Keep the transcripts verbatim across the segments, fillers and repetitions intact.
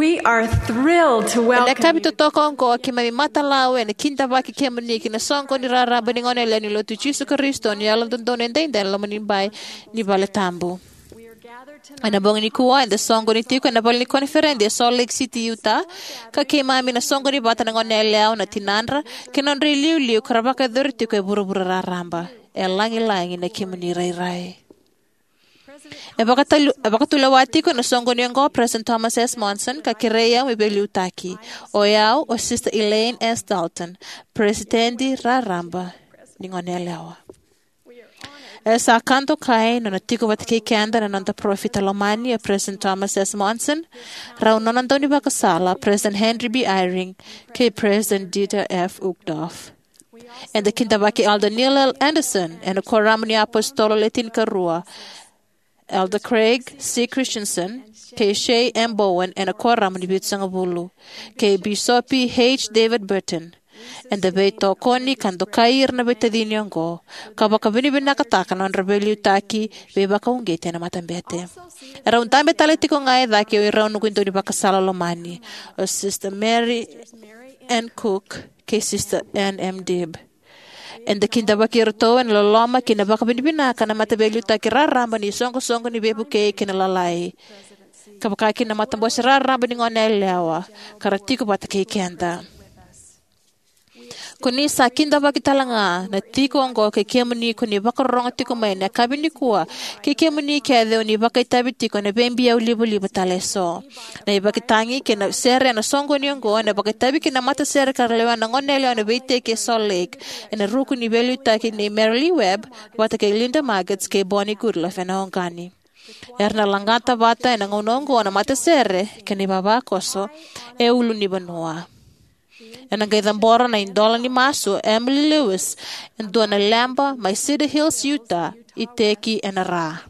We are thrilled to welcome you. Ena yakavi totoka oqo, keimami matalau ena kidavaki kemuni ki na soqoni raraba ni Goneyalewa ni Lotu i Jisu Karisito ni Yalododonu Edaidai ena loma ni bai ni valetabu. Ena bogi nikua, eda soqoni tiko ena vale ni koniferedi e Salt Lake City, Utah, ka keimami na soqoni vata na goneyalewa, na tinadra, kei na nodra iliuliu ka ra vakayacori tiko e vuravura raraba. E lagilagi na kemuni rairai. E vakatalu-, e vakatulewa tiko ena soqoni oqo o President Thomas S. Monson, ka kerei au me veiliutaki. O yau o Sister Elaine S. Dalton, President raraba ni Goneyalewa. E sa ka dokai na nona tiko vata kei keda na noda parofita lomani o President Thomas S. Monson, rau nona daunivakasala President Henry B. Eyring, kei President Dieter F. Uchtdorf. Eda kidavaki Elder Neil L. Andersen ena Kuoramu ni iApositolo Le Tinikarua, Elder Craig C. Christensen kei Shea M. Bowen ena Kuoramu ni Vitusagavulu, kei Bisopi H. David Burton. Eda veitokoni ka dokai ira na veitacini oqo, ka vakavinavinakataka na nodra veiliutaki veivakauqeti ena matabete. Erau dabe tale tiko ga e cake o irau noqu daunivakasala lomani, o Sister Mary N. Cook kei Sister Ann M. Dibb. Eda kidavaki iratou ena loloma kei na vakavinavinaka na mataveiliutaki raraba ni Soqosoqo ni Veivukei kei na Lalai, ka vakakina na matabose raraba ni Goneyalewa, ka ra tiko vata kei keda. Ko ni sa kidavaki tale ga na tiko oqo kei kemuni ko ni vakarorogo tiko mai ena yakavi nikua, kei kemuni kece o ni vakaitavi tiko ena veibiau livaliva tale eso. Na ivakatagi kei na sere ena soqoni oqo ena vakaitavi ki na matasere ka ra lewena na goneyalewa ena veiteki e Salt Lake, ena ruku ni veiliutaki nei Merilee Webb vata kei Linda Margetts kei Bonnie Goodliffe ena oqani. Era na lagata vata ena gauna oqo na matasere kei na ivavakoso e ulunivanua. Ena qai cabora na idola ni masu o Emily Lewis, e dua na leba mai Cedar Hills, Utah, iteki ena ra.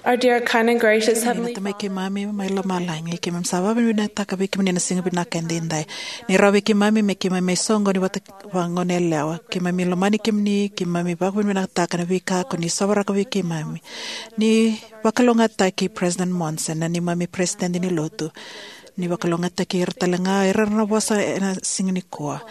Our dear, kind, and gracious Heavenly Tamai Father, keimami mai lomalagi, keimami sa vakavinavinakataka vei kemuni na siga vinaka edaidai. Ni rawa vei keimami me keimami mai soqoni vata vakagoneyalewa. Keimami lomani kemuni, keimami vakavinavinakataka na veika ko ni sovaraka vei keimami. Ni vakalougatataki President Monson, na neimami Peresitedi ni Lotu. Ni vakalougatataki ira talega era na vosa ena siga nikua.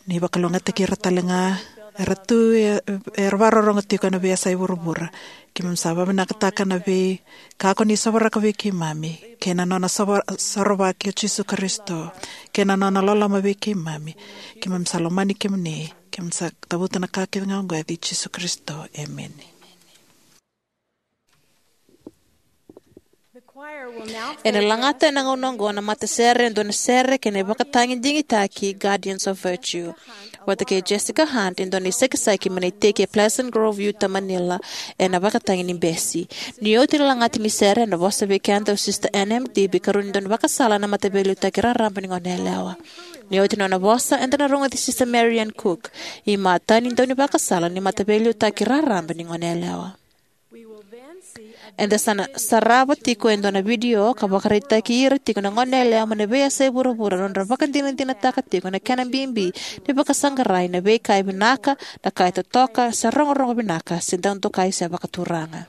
Ni vakalougatataki ira talega era tu e, era vakarorogo tiko ena veiyasai vuravura. Keimami sa vakavinavinakataka na veika ko ni sovaraka vei keimami, kei na nona sova-, sorovaki o Jisu Karisito, kei na nona loloma vei keimami. Keimami sa lomani kemuni, keimami sa cavuta na ka kece ga oqo ena yaca i Jisu Karisito. Emeni. Ena lagata ena gauna oqo na matasere e dua na sere kei na ivakatagi digitaki Guardians of Virtue, vata kei Jessica Hunt, e dua na isekiseki mai na iteki e Pleasant Grove, Utah, Manila, ena ivakatagi ni besi. Ni oti na lagata ni sere, ena vosa vei keda o Sister Ann M. Dibee, ikarua ni dau ni vakasala ena Mataveiliutaki Raraba ni Goneyalewa. Ni oti na nona vosa, eda na rogoci Sister Marian Cook, imatai ni dau ni vakasala ni Mataveiliutaki Raraba ni Goneyalewa. Eda sa na sarava tiko e dua na vidio ka vakaraitaki ira tiko na goneyalewa mai na veiyasai vuravura na nodra vakadinadinataka tiko na kena bibi ni vakasaqarai na veika e vinaka, na ka e totoka, se rogorogo vinaka, se dau dokai, se vakaturaga.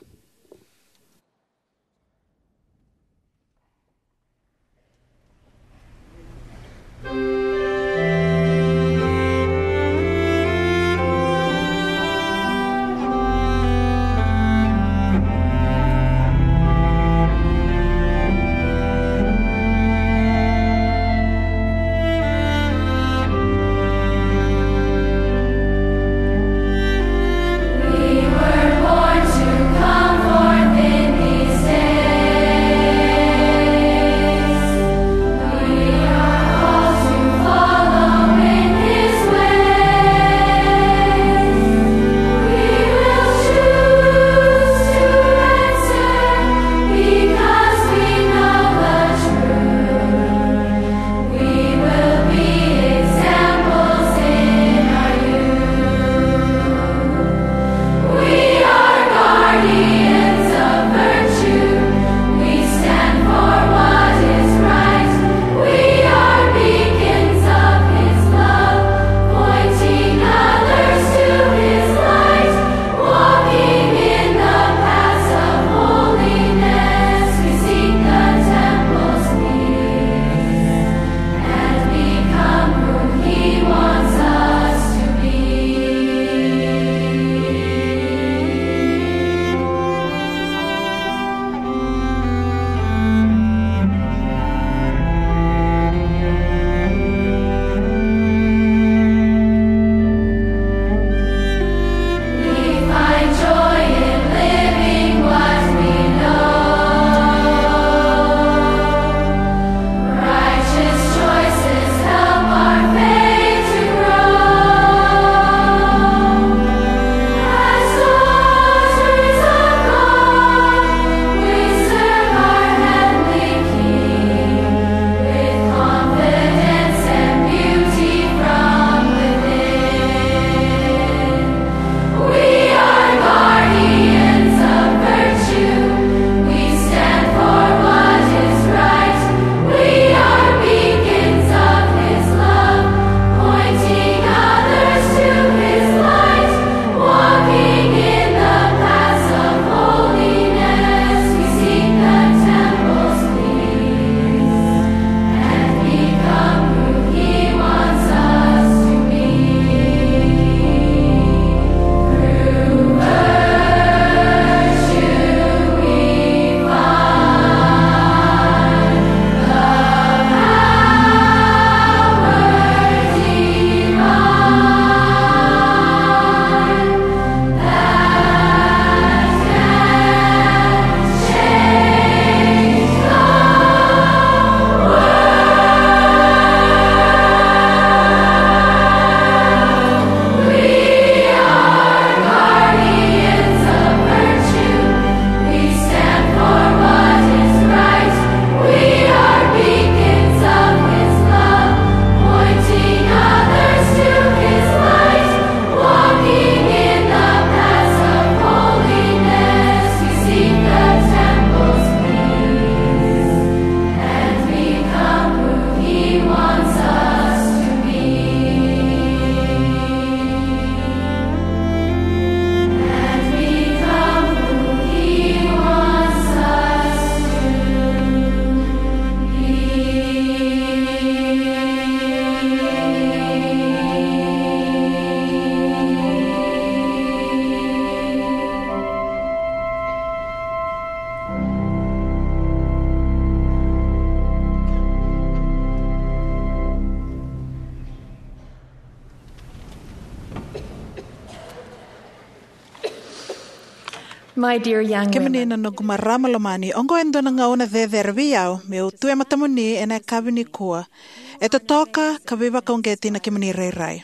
My dear young Kemuni women, na noqu marama lomani, oqo e dua na gauna cecere vei au meu tu e matamuni ena yakavi nikua. E totoka ka veivakauqeti na kemuni rairai.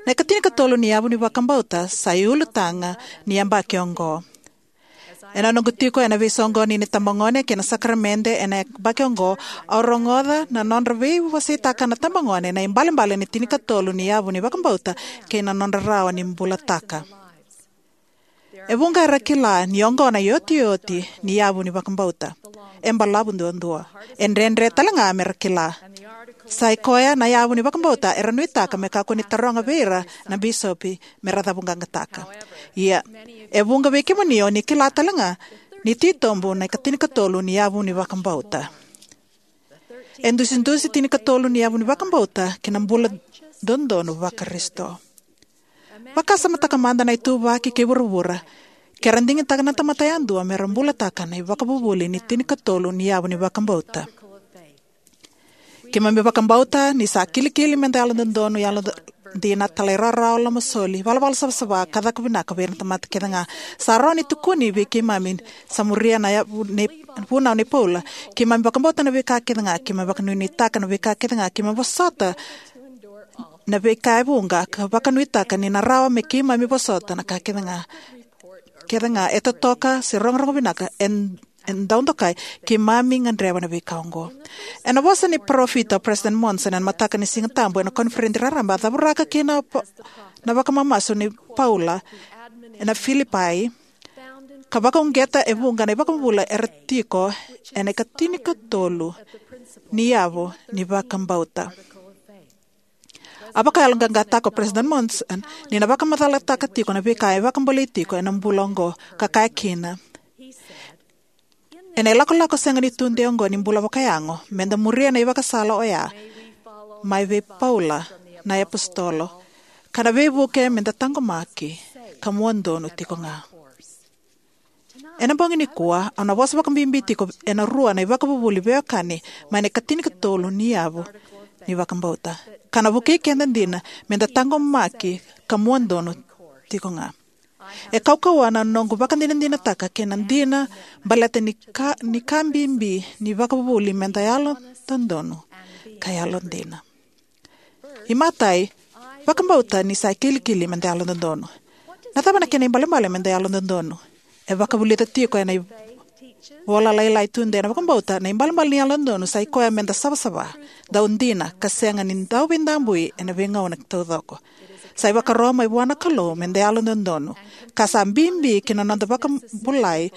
Na ikatinikatolu ni yavu ni vakabauta sa iulutaga ni yabaki oqo. Ena noqu tiko ena veisoqoni ni tabagone kei na sakaramede ena yabaki oqo, au rogoca na nodra veiwaseitaka na tabagone na ibalebale ni tinikatolu ni yavu ni vakabauta kei na nodra rawa ni bulataka. E vuqa era kila ni oqo na iotioti ni yavu ni vakabauta. E balavu duadua. E dredre tale ga mera kila. Sa i koya na yavu ni vakabauta era nuitaka me kakua ni taroga vei ira na bisopi mera cavuqaqataka. Ia, e vuqa vei kemuni o ni kila tale ga ni titobu na ikatinikatolu ni yavu ni vakabauta. E dusidusi tinikatolu ni yavu ni vakabauta ki na bula dodonu Vakarisito. Vakasamataka mada na ituvaki kei vuravura, ke ra digitaka na tamata yadua mera bulataka na ivakavuvuli ni tinikatolu ni yavu ni vakabauta. Keimami vakabauta ni sa kilikili meda yalododonu, yalodina, talairawarawa, lomasoli, valavala savasava, ka caka vinaka vei ira na tamata kece ga. Sa rawa ni tukuni vei keimami, sa muria na yavu nei, vunau nei Paula. Keimami vakabauta na veika kece ga, keimami vakanuinuitaka na veika kece ga, keimami vosota na veika e vuqa, ka vakanuitaka ni na rawa me keimami vosota na ka kece ga. Kece ga e totoka se rogorogo vinaka, e, e dau dokai, keimami gadreva na veika oqo. Ena vosa ni parofita o President Monson ena mataka ni Siga Tabu ena koniferedi raraba, a cavuraka kina na vakamamasu nei Paula ena Filipai, ka vakauqeta e vuqa na ivakavuvuli era tiko ena ikatinikatolu ni yavu ni vakabauta. A vakayaloqaqataka o President Monson ni na vakamacalataka tiko na veika e vakabolei tiko ena bula oqo, ka kaya kina: Ena ilakolako sega ni tudei oqo ni bula vakayago, meda muria na ivakasala oya mai vei Paula na iapositolo, ka na veivuke meda taqomaki ka mua donu tiko ga. Ena bogi nikua, au na vosa vakabibi tiko ena rua na ivakavuvuli veiwekani mai na ikatinikatolu ni yavu ni vakabauta, ka na vukei keda dina meda taqomaki ka mua donu tiko ga. E kaukauwa na noqu vakadinadinataka kei na dina baleta ni ka, ni ka bibi ni vakavuvuli meda yalododonu ka yalodina. Imatai, vakabauta ni sa kilikili meda yalododonu. Na cava na kena ibalebale meda yalododonu? E vakavulica tiko ena ivola lailai tudei na vakabauta, na ibalebale ni yalododonu sa i koya meda savasava, dau dina, ka sega ni dau veidabui ena veigauna taucoko. Sa ivakaro mai vua na Kalou meda yalododonu, ka sa bibi ki na noda vakabulai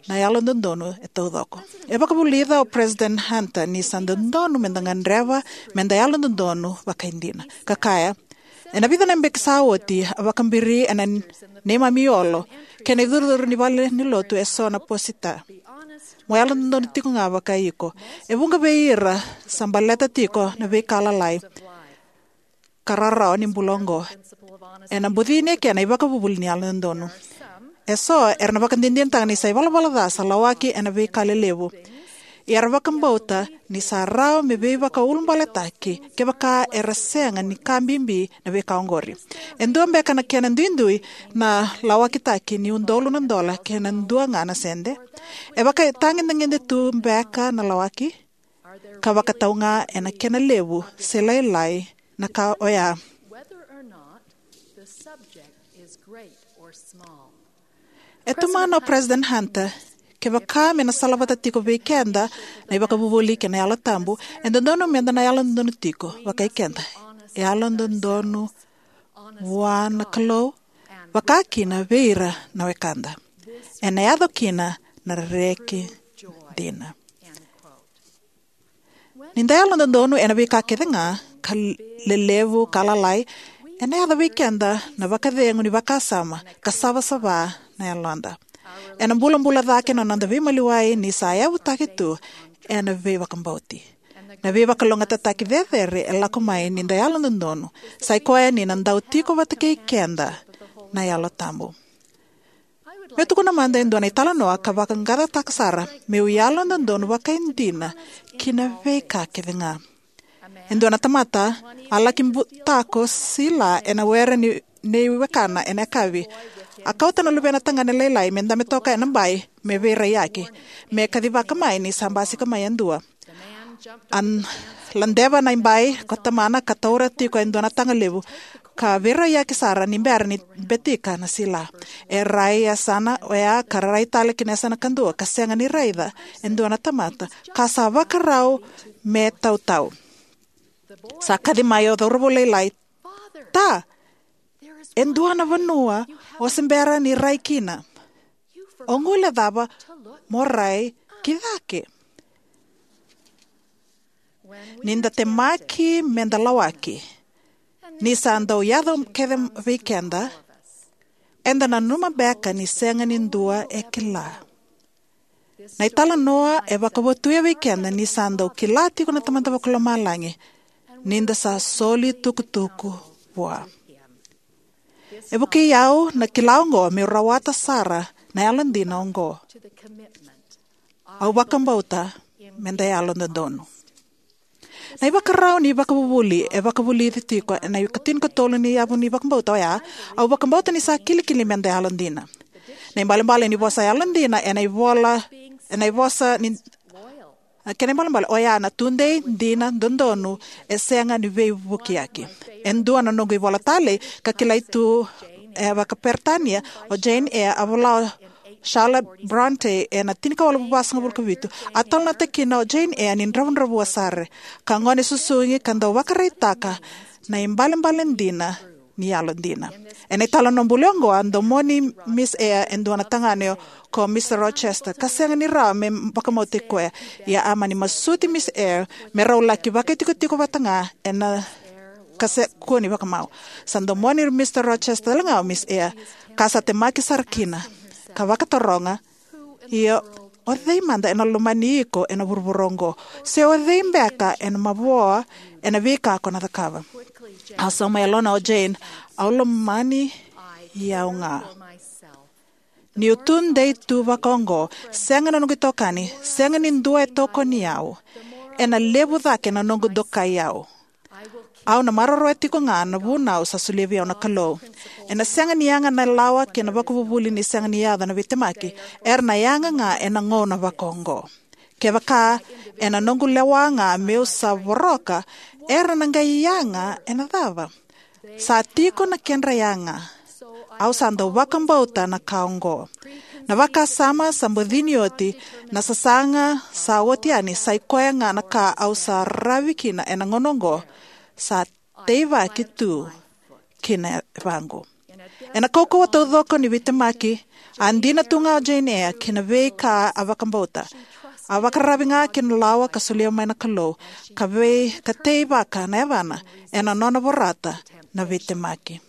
na yalododonu e taucoko. E vakavulica o President Hunter ni sa dodonu meda gadreva meda yalododonu vakaidina. Ka kaya, ena vica na beki sa oti, a vakabiri ena neimami olo kei na icurucuru ni valenilotu eso na posita: Mo yalododonu tiko ga vakai iko. E vuqa vei ira sa baleta tiko na veika lalai ka rarawa ni bula oqo. Ena bucini eke na ivakavuvuli ni yalododonu. Eso era na vakadinadinataka ni sa ivalavala ca sa lawaki ena veika lelevu. Ia era vakabauta ni sa rawa me veivakaulubaletaki kevaka era sega ni ka bibi na veika oqori. E dua beka na kena duidui na lawakitaki ni udolu na dola kei na dua ga na sede? E vakaitagedegede tu beka na lawaki? Ka vakatau ga ena kena levu se lailai na ka oya. E tomana o President Hunter, kevaka me na salavata tiko vei keda na ivakavuvuli kei na Yalo Tabu, e dodonu meda na yalododonu tiko vakai keda. E yalododonu vua na Kalou, vaka kina vei ira na wekada. Ena yaco kina na reki dina. Ni da yalododonu ena veika kece ga, ka lelevu ka lalai, ena yaco vei keda na vakacegu ni vakasama ka savasava na yaloda. Ena bulabula cake na noda veimaliwai ni sa yavutaki tu ena veivakabauti. Na veivakalougatataki cecere e lako mai ni da yalododonu, sa i koya ni na dau tiko vata kei keda na Yalo Tabu. Meu tukuna mada e dua na italanoa ka vaqaqacotaka sara meu yalododonu vakaidina ki na veika kece ga. E dua na tamata a laki butako sila ena were ni, nei wekana ena yakavi. A kauta na luvena tagane lailai me dabe toka ena bai me veiraiyaki, me kacivaka mai ni sa basika mai e dua. A ladeva na bai ko tamana ka taura tiko e dua na taga levu, ka veiraiyaki sara ni bera ni betika na sila. E rai e yasana oya ka rai tale ki na yasana kadua ka sega ni raica e dua na tamata, ka sa vakarau me tautau. Sa kaci mai o cauravou lailai, "Ta, e dua na vanua o se bera ni rai kina. O guilecava mo rai ki cake." Ni da temaki me da lawaki, ni sa dau yaco kece vei keda, eda nanuma beka ni sega ni dua e kila. Na italanoa e vakavotuya vei keda ni sa dau kila tiko na Tamada Vakalomalagi, ni da sa soli tukutuku vua. E vukei au na kila oqo meu rawata sara na yalodina oqo. Au vakabauta me da yalododonu. Na ivakarau ni vakavuvuli e vakavulici tiko ena ikatinikatolu ni yavu ni vakabauta oya, "Au vakabauta ni sa kilikili me da yalodina." Na ibalebale ni vosa yalodina ena ivola, ena ivosa ni, kena ibalebale oya na tudei, dina, dodonu, e sega ni veivukiyaki. E dua na noqu ivola talei ka kilai tu e vakaperitania o Jane Eyre, a vola o Charlotte Bronte ena tinikawalu vasagavulu ka vitu. A talanoataka kina o Jane Eyre ni dravudravua sara, ka gone susugi ka dau vakaraitaka na ibalebale dina ni yalodina. Ena italanoa buli oqo, a domoni Miss Eyre e dua na tagane ko Mister Rochester, ka sega ni rawa me vakamauti koya. Ia a mani masuti Miss Eyre me rau laki vakaitikotiko vata ga ena, ka se kua ni vakamau. Sa domoni Mister Rochester talega o Miss Eyre, ka sa temaki sara kina, ka vakataroga, "Ia, o cei mada ena lomani iko ena vuravura oqo? Se o cei beka ena mavoa ena veika ko na cakava?" A sauma e yalona o Jane, "Au lomani au ga. Niu tudei tu vakaoqo, sega na noqu itokani, sega ni dua e tokoni au, ena levu cake na noqu dokai au. Au na maroroya tiko ga na vunau sa solia vei au na Kalou. Ena sega ni yaga na lawa kei na vakavuvuli ni sega ni yaco na veitemaki. Era na yaga ga ena gauna vakaoqo. Kevaka ena noqu lewa ga meu sa voroka, era na qai yaga ena cava? Sa tiko na kedra yaga. Au sa dau vakabauta na ka oqo." Na vakasama sa bucini oti, na sasaga sa oti yani, sa i koya ga na ka au sa ravi kina ena gauna oqo, sa teivaki tu ki na yavaqu. Ena kaukauwa taucoko ni veitemaki, a dina tu ga o Jane Eyre ki na veika a vakabauta. A vakararavi ga ki na lawa ka solia mai na Kalou, ka vei, ka teivaka na yavana ena nona vorata na veitemaki.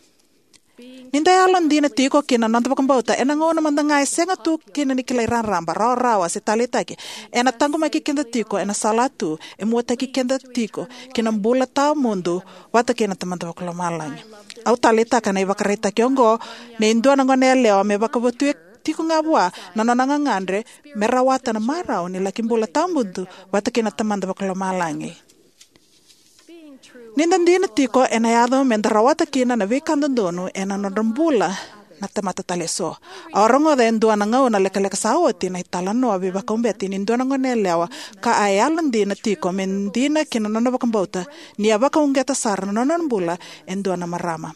Ni da yalodina tiko ki na noda vakabauta ena gauna mada ga e sega tu kina ni kilai raraba, rawarawa se taleitaki, ena taqomaki keda tiko ena sala tu, e muataki keda tiko ki na bula tawamudu vata kei na Tamada Vakalomalagi. Au taleitaka na ivakaraitaki oqo nei dua na goneyalewa me vakavotuya tiko ga vua na nona gagadre me rawata na marau ni laki bula tawamudu vata kei na Tamada Vakalomalagi. Ni da dina tiko, ena yaco me da rawata kina na veika dodonu ena nodra bula na tamata tale eso. Au a rogoca e dua na gauna lekaleka sa oti na italanoa veivakauqeti ni dua na goneyalewa ka a yalodina tiko me dina ki na nona vakabauta, ni a vakauqeta sara na nona bula e dua na marama.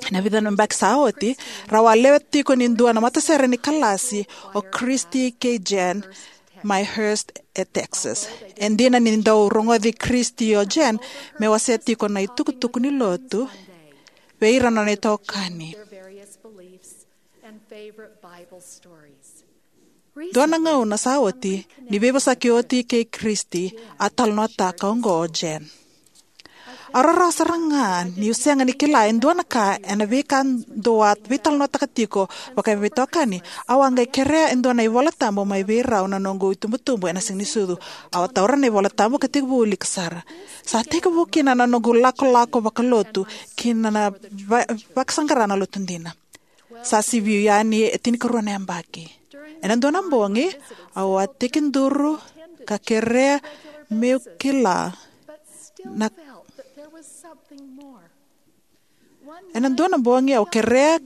Ena vica na yabaki sa oti, rau a lewe tiko ni dua na matasere ni kalasi o Christy kei Jen mai Hurst e Texas. E dina ni dau rogoci Christy o Jen me wasea tiko na itukutuku ni lotu vei ira na nona itokani. Dua na gauna sa oti, ni veivosaki oti kei Christy, a talanoataka oqo o Jen. Au rarawa sara ga niu sega ni kila e dua na ka ena veika dou a veitalanoataka tiko vakaveitokani. Au a qai kerea e dua na iVola Tabu mai vei rau na noqu itubutubu ena Siganisucu. Au a taura na iVola Tabu ka tekivu wilika sara. Sa tekivu kina na noqu lakolako vakalotu ki na va-, vakasaqara na Lotu dina. Sa sivi yani e tinikarua na yabaki. Ena dua na bogi, au a tekiduru ka kerea meu kila na, ena dua na bogi au kerea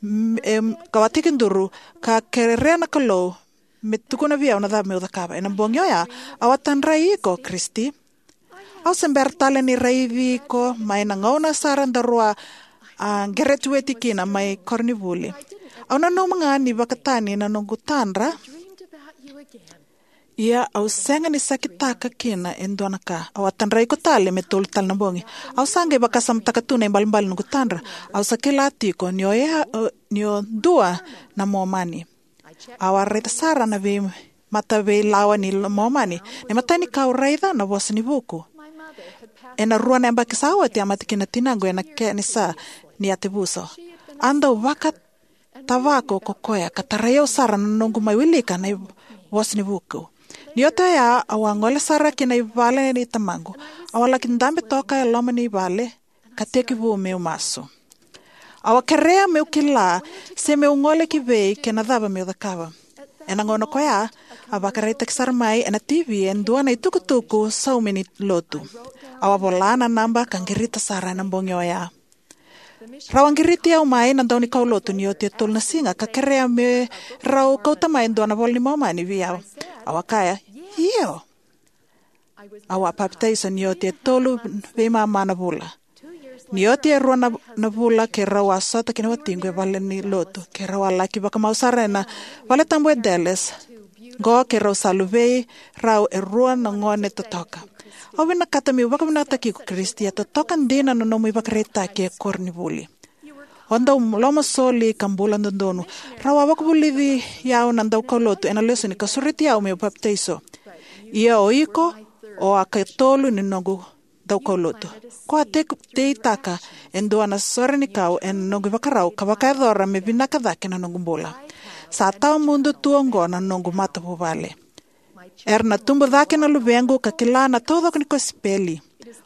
m- em, ka a tekiduru, ka kerea na Kalou me tukuna vei au na cava meu cakava. Ena bogi oya, au a tadrai iko, Kristi. Au se bera tale ni raici iko mai na gauna sara daru a, a, geretueti kina mai koronivuli. Au nanuma ga ni vakatani na noqu tadra. Ia au sega ni sakitaka kina e dua na ka. Au a tadrai iko tale me tolu tale na bogi. Au sa qai vakasamataka tu na ibalebale ni noqu tadra. Au sa kila tiko ni o ya, o, ni o dua na Momani. Au a raica sara na vei mata veilawa ni Momani. Na imatai ni ka au raica na Vosa ni Vuku. Ena rua na yabaki sa oti a mate kina tinaqu ena kenisa ni yatevuso. A dau vakatavako ko koya ka tarai au sara na noqu mai wilika na Vosa ni Vuku. Ni oti oya au a gole sara ki na ivale ni tamaqu. Au a laki dabe toka e loma ni vale ka tekivu meu masu. Au a kerea meu kila se meu gole ki vei kei na cava meu cakava. Ena gauna koya, a vakaraitaki sara mai ena T V e dua na itukutuku saumi ni lotu. Au a vola na naba ka qirita sara ena bogi oya. Rau a qiriti au mai na dau ni kaulotu ni oti e tolu na siga ka kerea me rau kauta mai e dua na iVola ni Momani vei au. Au a kaya, io. Au a papitaiso ni oti e tolu veimama na vula. Ni oti e rua na, na vula keirau a sota kei na watiqu e vale ni lotu. Keirau a laki vakamau sara ena vale tabu e Dallas. Qo keirau sa luvei rau e rua na gone totoka. Au vinakata meu vakavinakataki iko Kristi, e totoka dina na nomu ivakaraitaki e koronivuli. O dau lomasoli ka bula dodonu. Rau a vakavulici au na daukaulotu ena lesoni ka sureti au meu papitaiso. Ia o iko, o a katolu ni noqu daukaulotu. Ko a teitaka e dua na sore ni kau ena noqu ivakarau ka vakayacora me vinaka cake na noqu bula. Sa tawamudu tu oqo na noqu matavuvale. Era na tubu cake na luvequ ka kila na taucoko ni kosipeli.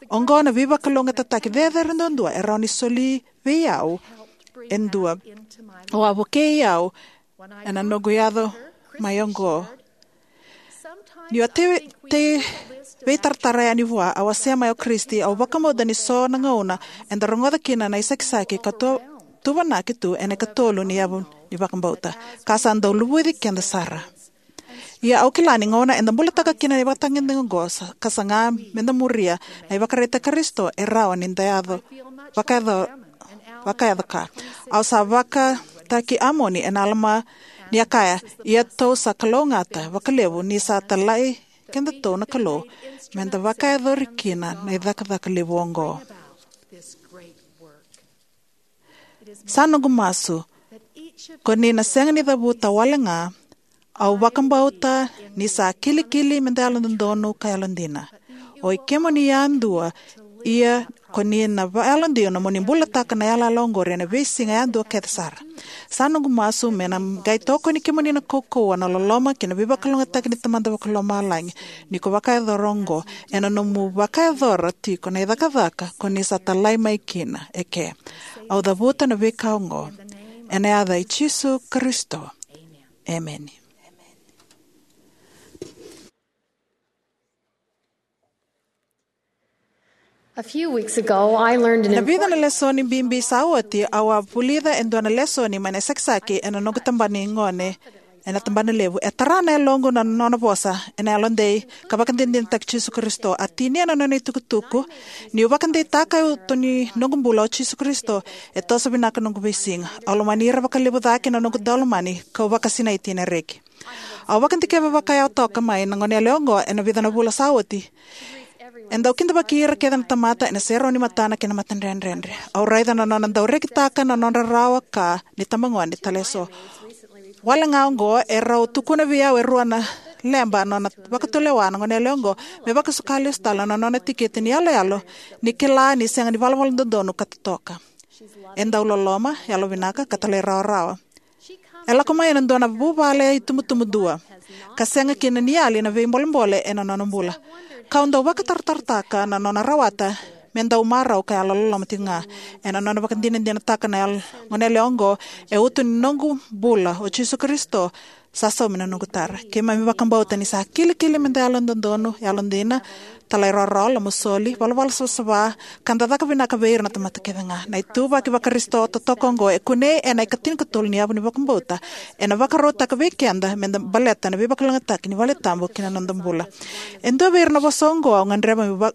Oqo na veivakalougatataki cecere duadua e rawa ni soli vei au e dua. O a vukei au ena noqu yaco mai oqo. Ni o tei, tei veitaratara yani vua, au a se mai o Kristi, au vakabauta ni so na gauna eda rogoca kina na isakisaki ka tu, tuvanaki tu ena ikatolu ni yavu ni vakabauta. Ka sa dau luvuci keda sara. Ia au kila ni gauna eda bulataka kina na ivakatagedegede oqo sa, ka saga meda muria na ivakaraitaki Karisito e rawa ni da yaco, vakayaco, vakayaco ka. Au sa vakataki Amoni ena alama ni a kaya, ia tou sa kalougata vakalevu ni sa talai kedatou na Kalou meda vakayacori kina na icakacaka levu oqo. Sa noqu masu ko ni na sega ni cavuta wale ga. Au vakabauta ni sa kilikili meda yalododonu ka yalodina. O i kemuni yadua, ia ko ni na vakayalodina mo ni bulataka na yalayala oqori ena veisiga yadua kece sara. Sa noqu masu me na qai tokoni kemuni na kaukauwa, na loloma kei na veivakalougatataki ni Tamada Vakalomalagi ni ko vakayacora oqo ena nomu vakayacora tiko na icakacaka ko ni sa talai mai kina eke. Au cavuta na veika oqo ena yaca i Jisu Karisito. Emeni. A few weeks ago, I learned an Na vica na important lesoni bibi sa oti, au a vulica e dua na lesoni mai na isakisaki ena noqu tabana ni gone ena tabana levu. E tara na yaloqu na nona vosa ena yalodei ka vakadinadinataki Jisu Karisito. A tinia na nona itukutuku, niu vakadeitaka e uto ni noqu bula o Jisu Karisito, e toso vinaka noqu veisiga. Au lomani ira vakalevu cake na noqu daulomani, kau vakasinaiti ena reki. Au vakadikeva vakayawa toka mai na goneyalewa oqo ena vica na vula sa oti. E dau kidavaki ira kece na tamata ena serau ni matana kei na matadredredre. Au raica na nona dau rekitaka na nona rawa ka ni tabagone tale eso. Wale ga oqo e rau tukuna vei au e rua na leba nona vakatulewa na goneyalewa oqo me vakasuka lesu tale na nona tikite ni yaloyalo ni kila ni sega ni valavala dodonu ka totoka. E dau loloma, yalovinaka ka talairawarawa. E lako mai ena dua na vuvale itubutubu dua ka sega kina ni yali na veibolebole ena nona bula. Kau dau vakataratarataka na nona rawata me dau marau ka yalololoma tiko ga. Ena nona vakadinadinataka na yal- goneyalewa oqo, e uto ni noqu bula o Jisu Karisito, sa saumi na noqu tara. Keimami vakabauta ni sa kilikili me da yalododonu, yalodina, talairawarawa, lomasoli, valavala savasava, ka da caka vinaka vei ira na tamata kece ga. Na ituvaki Vakarisito totoka oqo e kunei ena ikatinikatolu ni yavu ni vakabauta, ena vakarautaka vei keda me da baleta na veivakalougatataki ni valetabu ki na noda bula. E dua vei ira na vosa oqo au gadreva me va-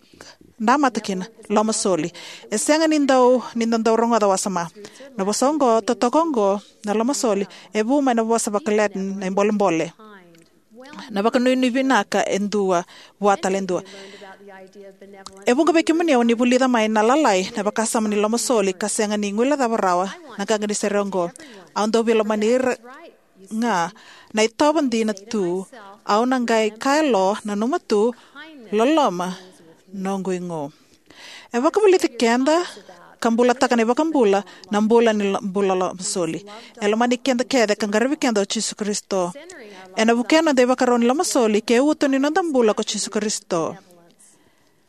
namata kina: lomasoli. E sega ni dau, ni da dau rogoca wasoma. Na vosa oqo, totoka oqo, na lomasoli, e vu mai na vosa vaka-Latin na ibolebole, na vakanuinui vinaka e dua vua tale e dua. E vuqa vei kemuni o ni vulica mai na lalai na vakasama ni lomasoli ka sega ni guilecava rawa na qaqa ni sere oqo. Au dau veilomani ira ga na itovo dina tu, au na qai kaya lo, nanuma tu, loloma noqu igu. E vakavulici keda ka bulataka na iVakabula na bula ni lo- bula lomasoli. E lomani keda kece ka qaravi keda o Jisu Karisito. Ena vukea noda ivakarau ni lomasoli ke uto ni noda bula ko Jisu Karisito.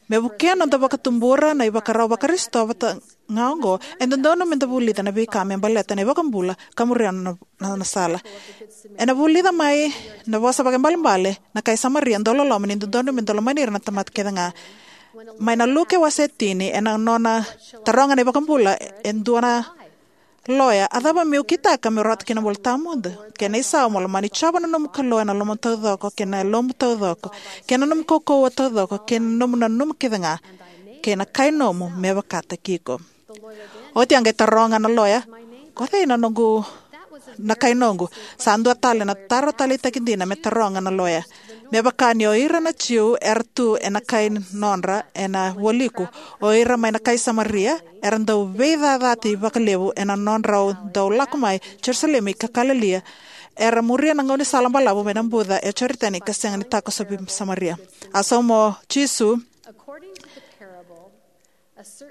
Me vukea noda vakatubura na ivakarau Vakarisito vata ga oqo, e dodonu me da vulica na veika me baleta na iVakabula ka muria na, na, na sala. Ena vulica mai na vosa vakaibalebale na kai Samaria dauloloma ni dodonu me da lomani ira na tamata kece ga. Mai na Luke wase tini, ena nona taroga na iVakabula e dua na loya, a cava meu kitaka meu rawata kina na bula tawamudu? Kena isau, mo lomani Jiova na nomu Kalou ena lomamu taucoko, kei na yalomu taucoko, kei na nomu kaukauwa taucoko, kei na nomu nanuma kece ga, kei na kai nomu me vakataki iko. Oti a qai taroga na loya, ko cei na noqu, na kai noqu? Sa dua tale na taro taleitaki dina me taroga na loya. Me vaka ni o ira na Jiu era tu ena kai nodra ena vualiku, o ira mai na kai Samaria era dau veicacati vakalevu ena nodrau dau lako mai Jerusalemi ka Kalilia, era muria na gaunisala balavu mai na buca e Joritani ka sega ni takosovi Samaria. A sauma o Jisu,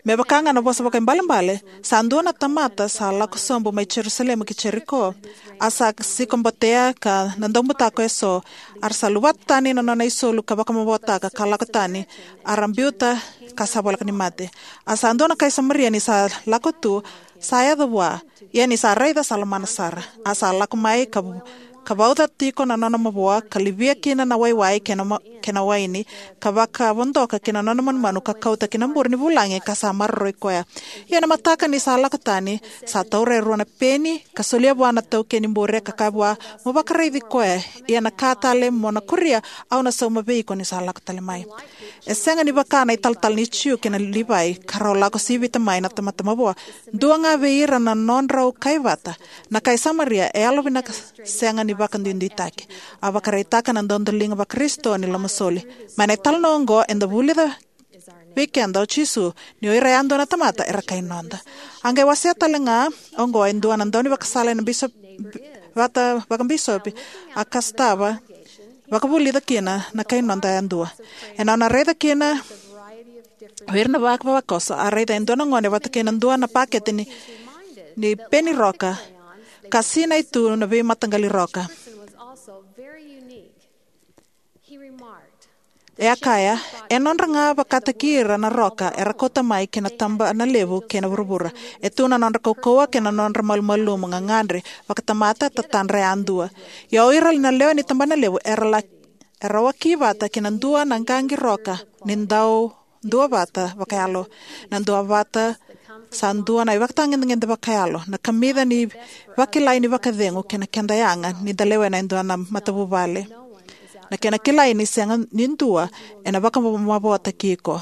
me vaka ga na vosa vakaibalebale, sa dua na tamata sa lako sobu mai Jerusalemi ki Jeriko, a sa sikobotea ka na daubutako eso, a ra sa luvata tani na nona isulu ka vakamavotaka ka lako tani, a ra biuta ka sa voleka ni mate. A sa dua na kai Samaria ni sa lako tu, sa yaco vua, ia ni sa raica sa lomana sara. A sa lako mai ka, ka vauca tiko na nona mavoa, ka livia kina na waiwai kei na ma-, kei na waini, ka vakavodoka kina nona manumanu ka kauta kina bure ni vulagi ka sa maroroi koya. Ia na mataka ni sa lako tani, sa taura e rua na peni, ka solia vua na taukei ni bure ka kaya vua, mo vakaraici koya, ia na ka tale mo na kuria, au na sauma vei iko ni sa lako tale mai. E sega ni vaka na italatala ni Jiu kei na Livai, ka rau lako sivita mai na tamata mavoa. Dua ga vei ira na nodrau kai vata, na kai Samaria e yalovinaka sega ni vakaduiduitaki. A vakaraitaka na dodoliga Vakarisito ni lomasoli. Mai na italanoa oqo eda vulica vei keda o Jisu ni o ira yadua na tamata era kai noda. A qai wasea tale ga oqo e dua na daunivakasala ena bisop-, vata vakabisopi, a ka sotava vakavulica kina na kai noda yadua. Ena nona raica kina o ira na vakavakoso, a raica e dua na gone vata kei na dua na pakete ni, ni peni roka, ka sinai tu na veimataqali roka. E a kaya, e nodra ga vakataki ira na roka era kauta mai ki na tabana levu kei na vuravura. E tu na nodra kaukauwa kei na nodra malumalumu, gagadre, vakatamata, tatadra yadua. Ia o ira na lewe ni tabana levu era la, era waki vata ki na dua na qaqi roka ni dau duavata vakayalo. Na duavata sa dua na ivakatagedegede vakayalo, na kamica ni vakilai ni vakacegu kei na keda yaga ni da lewena e dua na matavuvale. Na kena kilai ni sega ni dua ena vakamavoataki iko.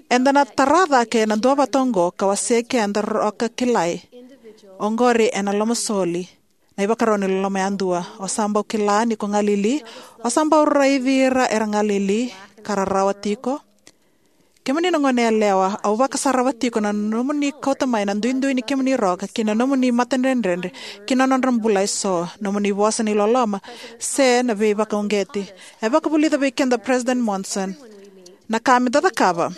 Eda na tara cake na duavata oqo ka wasea keda roka kilai. Oqori ena lomasoli, na ivakarau ni loloma yadua. O sa bau kila ni ko galili, o sa bau raici ira era galili ka rarawa tiko. Kemuni na gone yalewa, au vakasarava tiko na nomuni kauta mai na duidui ni kemuni roka ki na nomuni matadredredre ki na nodra bula eso, nomuni vosa ni loloma, se na veivakauqeti. E vakavulica vei keda o President Monson, na ka me da cakava.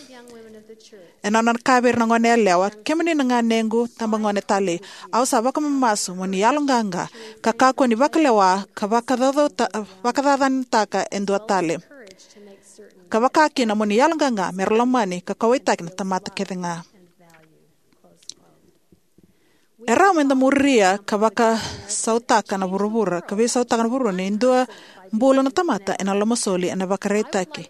Ena nona kaya vei ira na gone yalewa, kemuni na ganequ tabagone talei, au sa vakamamasu mo ni yaloqaqa ka kakua ni vakalewa ka vakacaucauta-, vakacacanataka e dua tale. ka vaka kina mo ni yaloqaqa me ra lomani ka kauwaitaki na tamata kece ga. E rawa me da muria ka vakasautaka na vuravura, ka veisautaka na vuravura ni dua bula na tamata ena lomasoli ena ivakaraitaki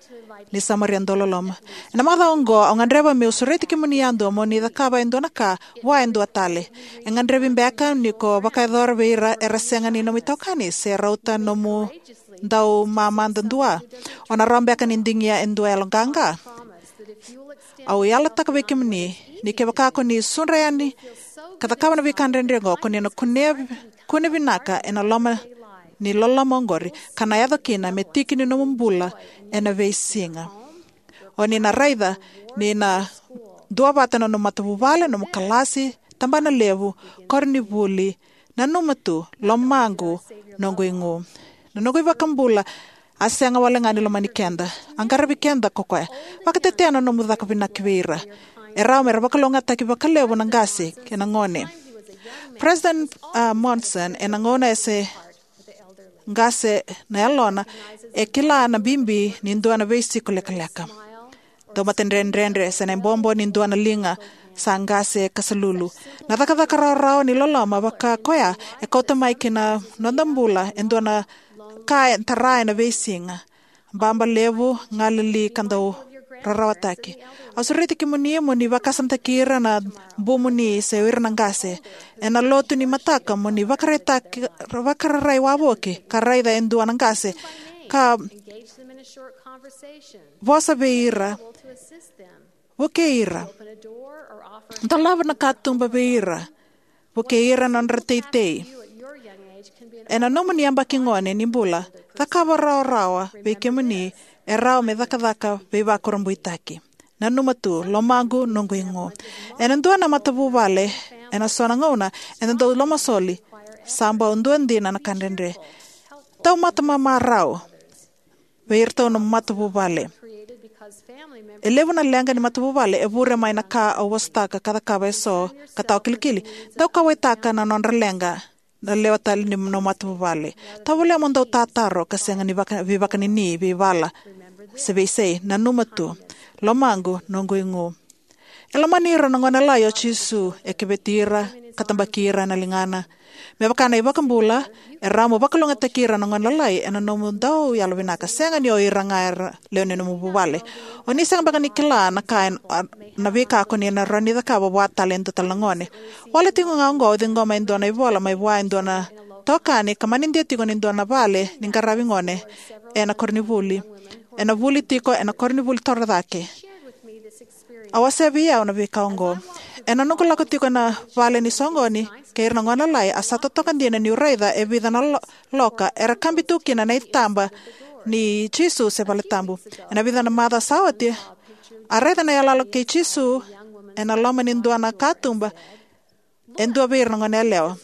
ni Samaria dauloloma. Ena macawa oqo, au gadreva meu sureti kemuni yadua mo ni cakava e dua na ka vua e dua tale. E gadrevi beka ni ko vakayacora vei ira era sega ni nomu itokani se rauta nomu dau mamada dua. O na rawa beka ni digia e dua yaloqaqa. Au yalataka vei kemuni ni kevaka ko ni sudra yani ka cakava na veika dredre oqo, ko ni na kune, kune vinaka ena loma ni loloma oqori, ka na yaco kina me tiki ni nomu bula ena veisiga. O ni na raica ni na duavata na nomu matavuvale, nomu kalasi, tabana levu, koronivuli. Nanuma tu, lomaqu, noqu igu. Na noqu iVakabula a sega wale ga ni lomani keda. A qaravi keda ko koya. Vakatetea na nomu caka vinaka vei ira. E rawa me ra vakalougatataki vakalevu na qase kei na gone. President, ah, Monson, ena gauna e se qase na yalona, e kila na bibi ni dua na veisiko lekaleka. Dau matadredredre se na ibobo ni dua na liga sa qase ka salulu. Na cakacaka rawarawa ni loloma vaka koya e kauta mai ki na noda bula e dua na ka e tara ena veisiga. Baba levu, galili ka dau rarawataki. Au sureti kemuni mo ni vakasamataki ira na bumuni se o ira na qase ena lotu ni mataka mo ni vakaraitaki, vakararai wavoki ka raica e dua na qase ka vosa vei ira, vukei ira, dolava na katuba vei ira, vukei ira na nodra teitei. Ena nomuni yabaki gone ni bula, cakava rawarawa vei kemuni e rawa me cakacaka veivakurabuitaki. Nanuma tu, lomaqu, noqu igu. Ena dua na matavuvale, ena so na gauna ena dau lomasoli, sa bau dua dina na ka dredre. Taumata mamarau vei iratou na matavuvale. E levu na leqa ni matavuvale e vure mai na ka au vosataka ka cakava eso ka tawa kilikili. Dau kauwaitaka na nodra leqa na lewe tale ni nomu matavuvale. Tovolea mo dau tataro ka sega ni vaka, veivakanini, veivala se veisei. Nanuma tu, lomaqu, noqu igu. E lomani ira na gone lalai o Jisu, e keveti ira ka tabaki ira ena ligana. Me vaka na iVakabula, e rawa mo vakalougatataki ira na gone lalai ena nomu dau yalovinaka, sega ni o ira ga era lewe ni nomu vuvale. O ni sega beka ni kila na ka e, a, na veika ko ni na rawa ni cakava vua tale e dua tale na gone. Wale tiko ga oqo au ciqoma e dua na ivola mai vua e dua na tokani ka manidia tiko ni dua na vale ni qaravi gone ena koronivuli. Ena vuli tiko ena koronivuli torocake. A wasea vei au na veika oqo. Ena noqu lako tiko ena vale ni soqoni kei ira na gone lalai, a sa totoka dina niu raica e vica na lo-, loka era kabi tu kina na itaba ni Jisu se vale tabu. Ena vica na macawa sa oti, a raica na iyaloyalo kei Jisu ena loma ni dua na katuba e dua vei ira na gone yalewa.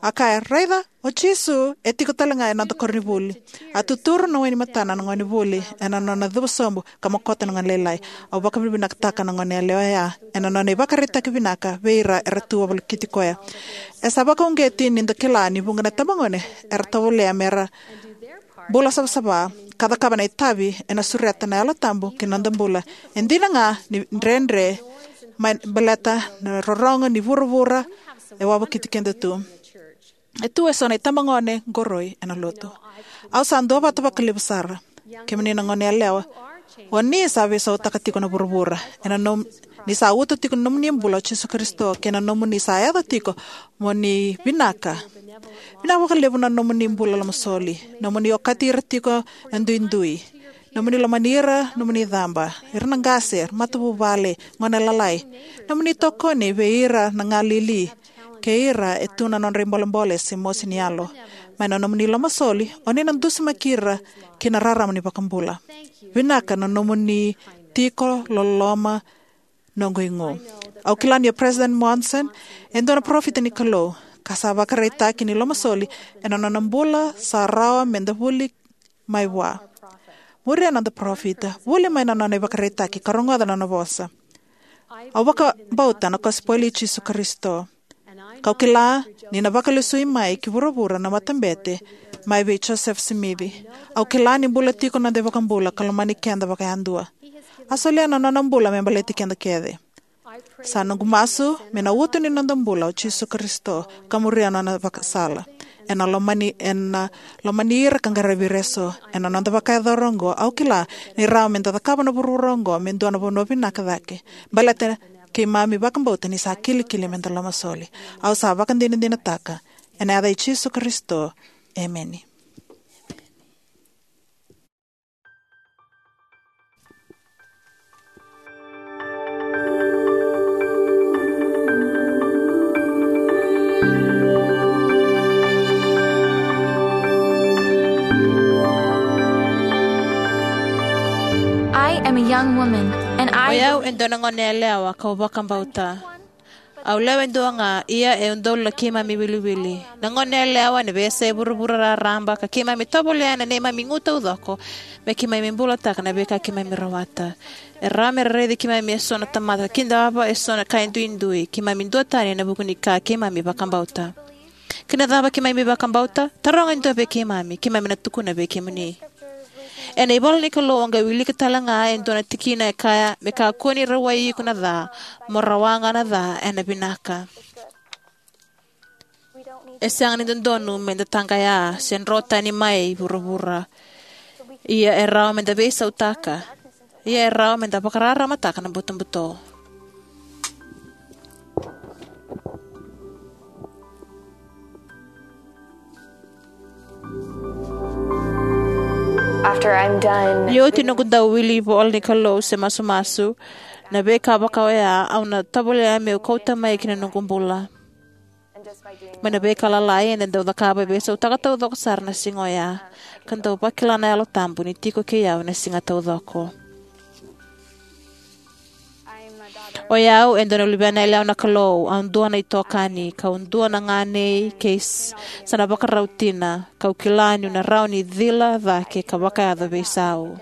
A kaya, "Raica, o Jisu e tiko tale ga ena noda koronivuli." A tuturu na wai ni matana na gonevuli ena nona cuva sobu ka mokota na gone lailai. Au vakavinavinakataka na gone yalewa oya ena nona ivakaraitaki vinaka vei ira era tu volekiti koya. E sa vakauqeti ni da kila ni vuqa na itabagone era tovolea mera bula savasava ka cakava na itavi ena sureta na Yalo Tabu ki na noda bula. E dina ga ni dredre mai baleta na rorogo ni vuravura e wavokiti keda tu. E tu eso na itabagone qoroi ena lotu. Au sa duavata vakalevu sara. Kemuni na gone yalewa, o ni sa veisautaka tiko na vuravura ena nom-, ni sa uto tiko na nomuni bula o Jisu Karisito kei na nomuni sa yaco tiko mo ni vinaka. Vinaka vakalevu na nomuni bula lomasoli, nomuni okati ira tiko na duidui, nomuni lomani ira nomuni caba, ira na qase, matavuvale, gone lalai, nomuni tokoni vei ira na galili kei ira e tu na nodra ibolebole se mosi ni yalo. Mai na nomuni lomasoli o ni na dusimaki ira ki na rarama ni vakabula. Vinaka na nomuni tiko loloma, noqu igu. Au kila ni o President Monson e dua na parofita ni Kalou ka sa vakaraitaki ni lomasoli ena nona bula sa rawa me da vuli mai vua. Muria na noda parofita, vuli mai na nona ivakaraitaki ka rogoca na nona vosa. Au vakabauta na kosipeli i Jisu Karisito. Kau kila ni na vakalesui mai ki vuravura na matabete mai vei Josefa Simici. Au kila ni bula tiko na noda iVakabula ka lomani keda vakayadua. A solia na nona bula me baleti keda kece. Sa noqu masu me na uto ni noda bula o Jisu Karisito ka muria na nona vakasala. Ena lomani, ena lomani ira ka qaravi ira eso. Ena noda vakayacora oqo, au kila ni rawa me da cakava na vuravura oqo me dua na vanua vinaka cake. Baleta keimami vakabauta ni sa kilikili me da lomasoli. Au sa vakadinadinataka ena yaca i Jisu Karisito. Emeni. I am a young woman, and I O yau e dua na gone yalewa kau vakabauta. Au lewe dua ga, ia e udolu na keimami wiliwili. Na gone yalewa ena veiyasai vuravura raraba ka keimami tovolea na neimami igu taucoko me keimami bulataka na veika keimami rawata. E rawa me ra raici keimami eso na tamata ka kidava eso na ka e duidui. Keimami duatani ena vuku ni ka keimami vakabauta. Kei na cava keimami vakabauta? Taroga e dua vei keimami, keimami na tukuna vei kemuni. Ena ivola ni Kalou o qai wilika tale ga e dua na tikina e kaya, me kakua ni rawai iko na ca, mo rawa ga na ca ena vinaka. E sega ni dodonu me da taqaya se dro tani mai vuravura. Ia e rawa me da veisautaka. Ia e rawa me da vakararamataka na butobuto. After I'm done. Ni oti noqu dau wili ivola ni Kalou se masumasu, na veika vaka oya au na tovolea meu kauta mai ki na noqu bula. Mai na veika lalai eda dau cakava e veisautaka taucoko sara na siga oya, ka dau vakila na Yalo Tabu ni tiko kei au na siga taucoko. O yau e dua na luvena yalewa na Kalou, au dua na itokani, kau dua na ganei kei s-, sa na vakarau tina, kau kila niu na rawa ni cila cake ka vakayaco veisau.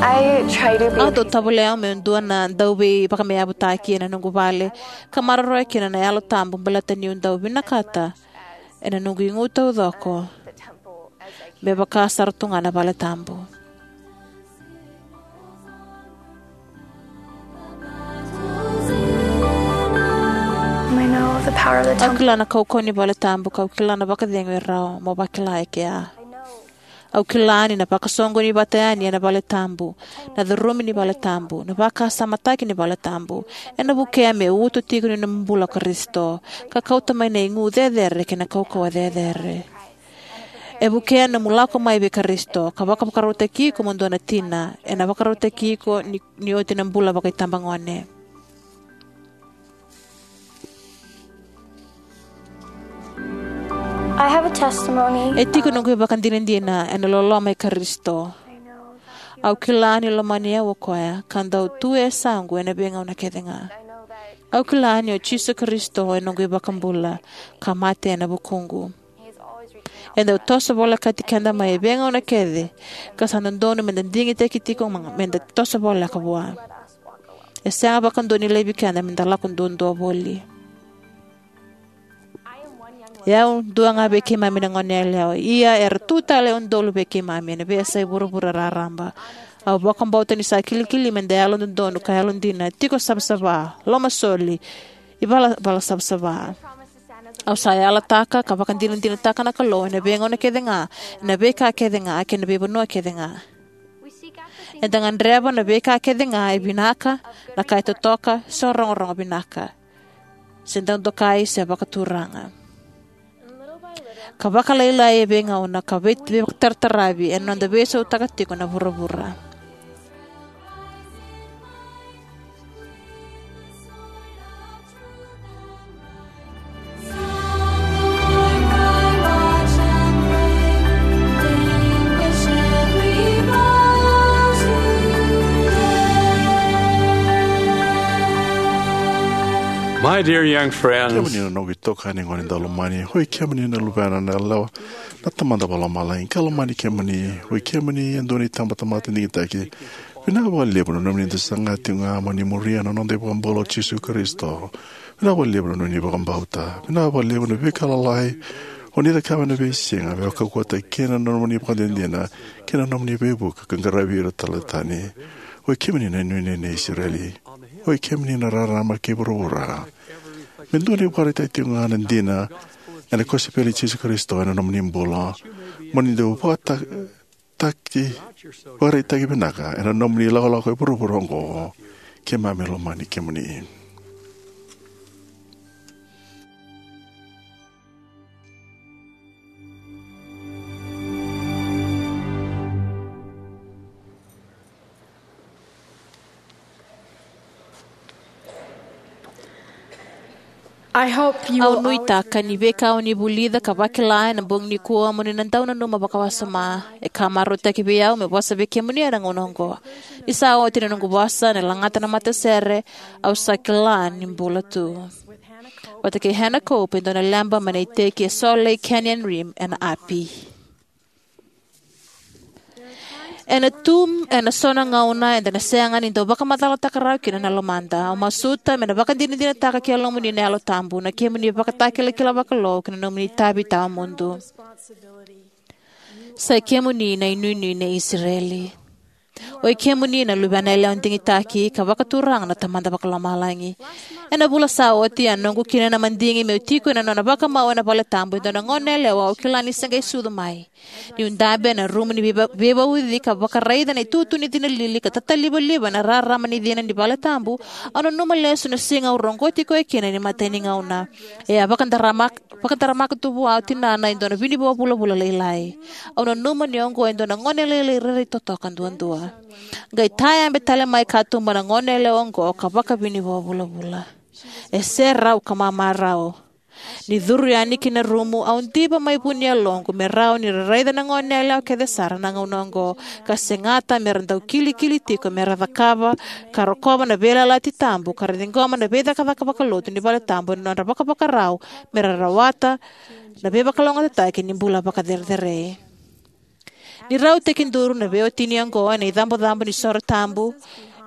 I try to be Au dau tovolea meu dua na dauveivakameavutaki ena noqu vale, ka maroroya kina na Yalo Tabu baleta niu dau vinakata ena noqu igu taucoko me vaka sara tu ga na vale tabu. I know the power of the Au temple. Kila na kaukauwa ni vale tabu, kau kila na vakacegu e rawa mo vakila e kea. Au kila ni na vakasoqoni vata yani ena vale tabu, na curumi ni vale tabu, na vakasamataki ni vale tabu, ena vukea me uto tiko ni nomu bula o Karisito, ka kauta mai na igu cecere kei na kaukauwa cecere. E vukea nomu lako mai vei Karisito, ka vakavakarautaki iko mo dua na tina, ena vakarautaki iko ni, ni oti na bula vakaitabagone. I have a testimony. E tiko noqu ivakadinadina ena loloma i Karisito. Au kila ni lomani au o koya, ka dau tu e yasaqu ena veigauna kece ga. Au kila ni o Jisu Karisito e noqu iVakabula, ka mate ena vukuqu. E dau toso volekati keda mai e veigauna kece, ka sa dodonu meda digitaki tiko ma-, meda toso voleka vua. E sega vakadua ni laivi keda meda lako duadua voli. E au dua ga vei keimami na gone yalewa, ia era tu tale e udolu vei keimami ena veiyasai vuravura raraba. Au vakabauta ni sa kilikili meda yalododonu ka yalodina, tiko savasava, lomasoli, ivalavala savasava. Au sa yalataka ka vakadinadinataka na Kalou ena veigauna kece ga, ena veika kece ga, kei na veivanua kece ga. Eda gadreva na veika kece ga e vinaka, na ka e totoka, se rogorogo vinaka, se dau dokai, se vakaturaga. Ka vakalailai e veigauna, ka vei-, veivakatarataravi ena noda veisautaka tiko na vuravura. My dear young friends, kemuni na noqu itokani gone daulomani, oi kemuni na luvena na yalewa na Tamada Vakalomalagi, ka lomani kemuni, oi kemuni e dua na itabatamata digitaki, Vinaka vakalevu na nomuni da saga tiko ga mo ni muria na noda iVakabula o Jisu Karisito. Vinaka vakalevu na nomuni vakabauta. Vinaka vakalevu na veika lalai o ni cakava ena veisiga me vakaukauwataki kina na nomuni ivakadinadina kei na nomuni veivuke ka qaravi ira tale tani. Oi kemuni na inuinui nei Isireli. Oi kemuni na rarama kei vuravura. Me dua na ivakaraitaki tiko ga na dina ena kosipeli i Jisu Karisito ena nomuni bula, mo ni dau vakata- taki, vakaraitaki vinaka ena nomuni lakolako e vuravura oqo. Keimami lomani kemuni. Au nuitaka ni veika o ni vulica ka vakila ena bogi nikua mo ni na dau nanuma vakawasoma. E ka marautaki vei au meu vosa vei kemuni ena gauna oqo. Ni sa oti na noqu vosa ni lagata na matasere, au sa kila ni bula tu. Vata kei Hannah Cope, e dua na leba mai na iteki e Salt Lake Canyon Rim ena api. Ena tu ena so na gauna eda na sega ni dau vakamacalataka rawa kina na lomada. Au masuta me na vakadinadinataka ki yalomuni na Yalo Tabu na kemuni ivakatakilakila vakalou kei na nomuni itavi tawamudu. Sa i kemuni na inuinui nei Isireli. Oi kemuni na luvena yalewa digitaki ka vakaturaga na Tamada Vakalomalagi. Ena vula sa oti a noqu kina na madigi meu tiko ena nona vakamau ena vale tabu e dua na goneyalewa au kila ni se qai sucu mai. Niu dabe ena rumu ni veiva- veivauci ka vakaraica na itutu ni cina lili ka tatalivaliva ena rarama ni cina ni vale tabu, au nanuma lesu na siga au roqoti koya kina ni matai ni gauna. E a vakadaramak- vakadaramaka tu vua o tinana e dua na vinivoa vulavula lailai. Au nanuma ni oqo e dua na gone lailai rairai totoka duadua. Qai tayabe tale mai katuba na goneyalewa oqo ka vakavinivoa vulavula. E serau ka mamarau. Ni curu yani ki na rumu, au diva mai vu ni yaloqu me rawa ni ra raica na goneyalewa kece sara na gauna oqo, ka segata me ra dau kilikili tiko me ra cakava ka rokova na veiyalayalati tabu ka ra ciqoma na veicakacaka vakalotu ni vale tabu ena nodra vakavakarau me ra rawata na veivakalougatataki ni bula vakacerecerei. Ni rau tekiduru na veiwatini oqo ena icabocabo ni soro tabu,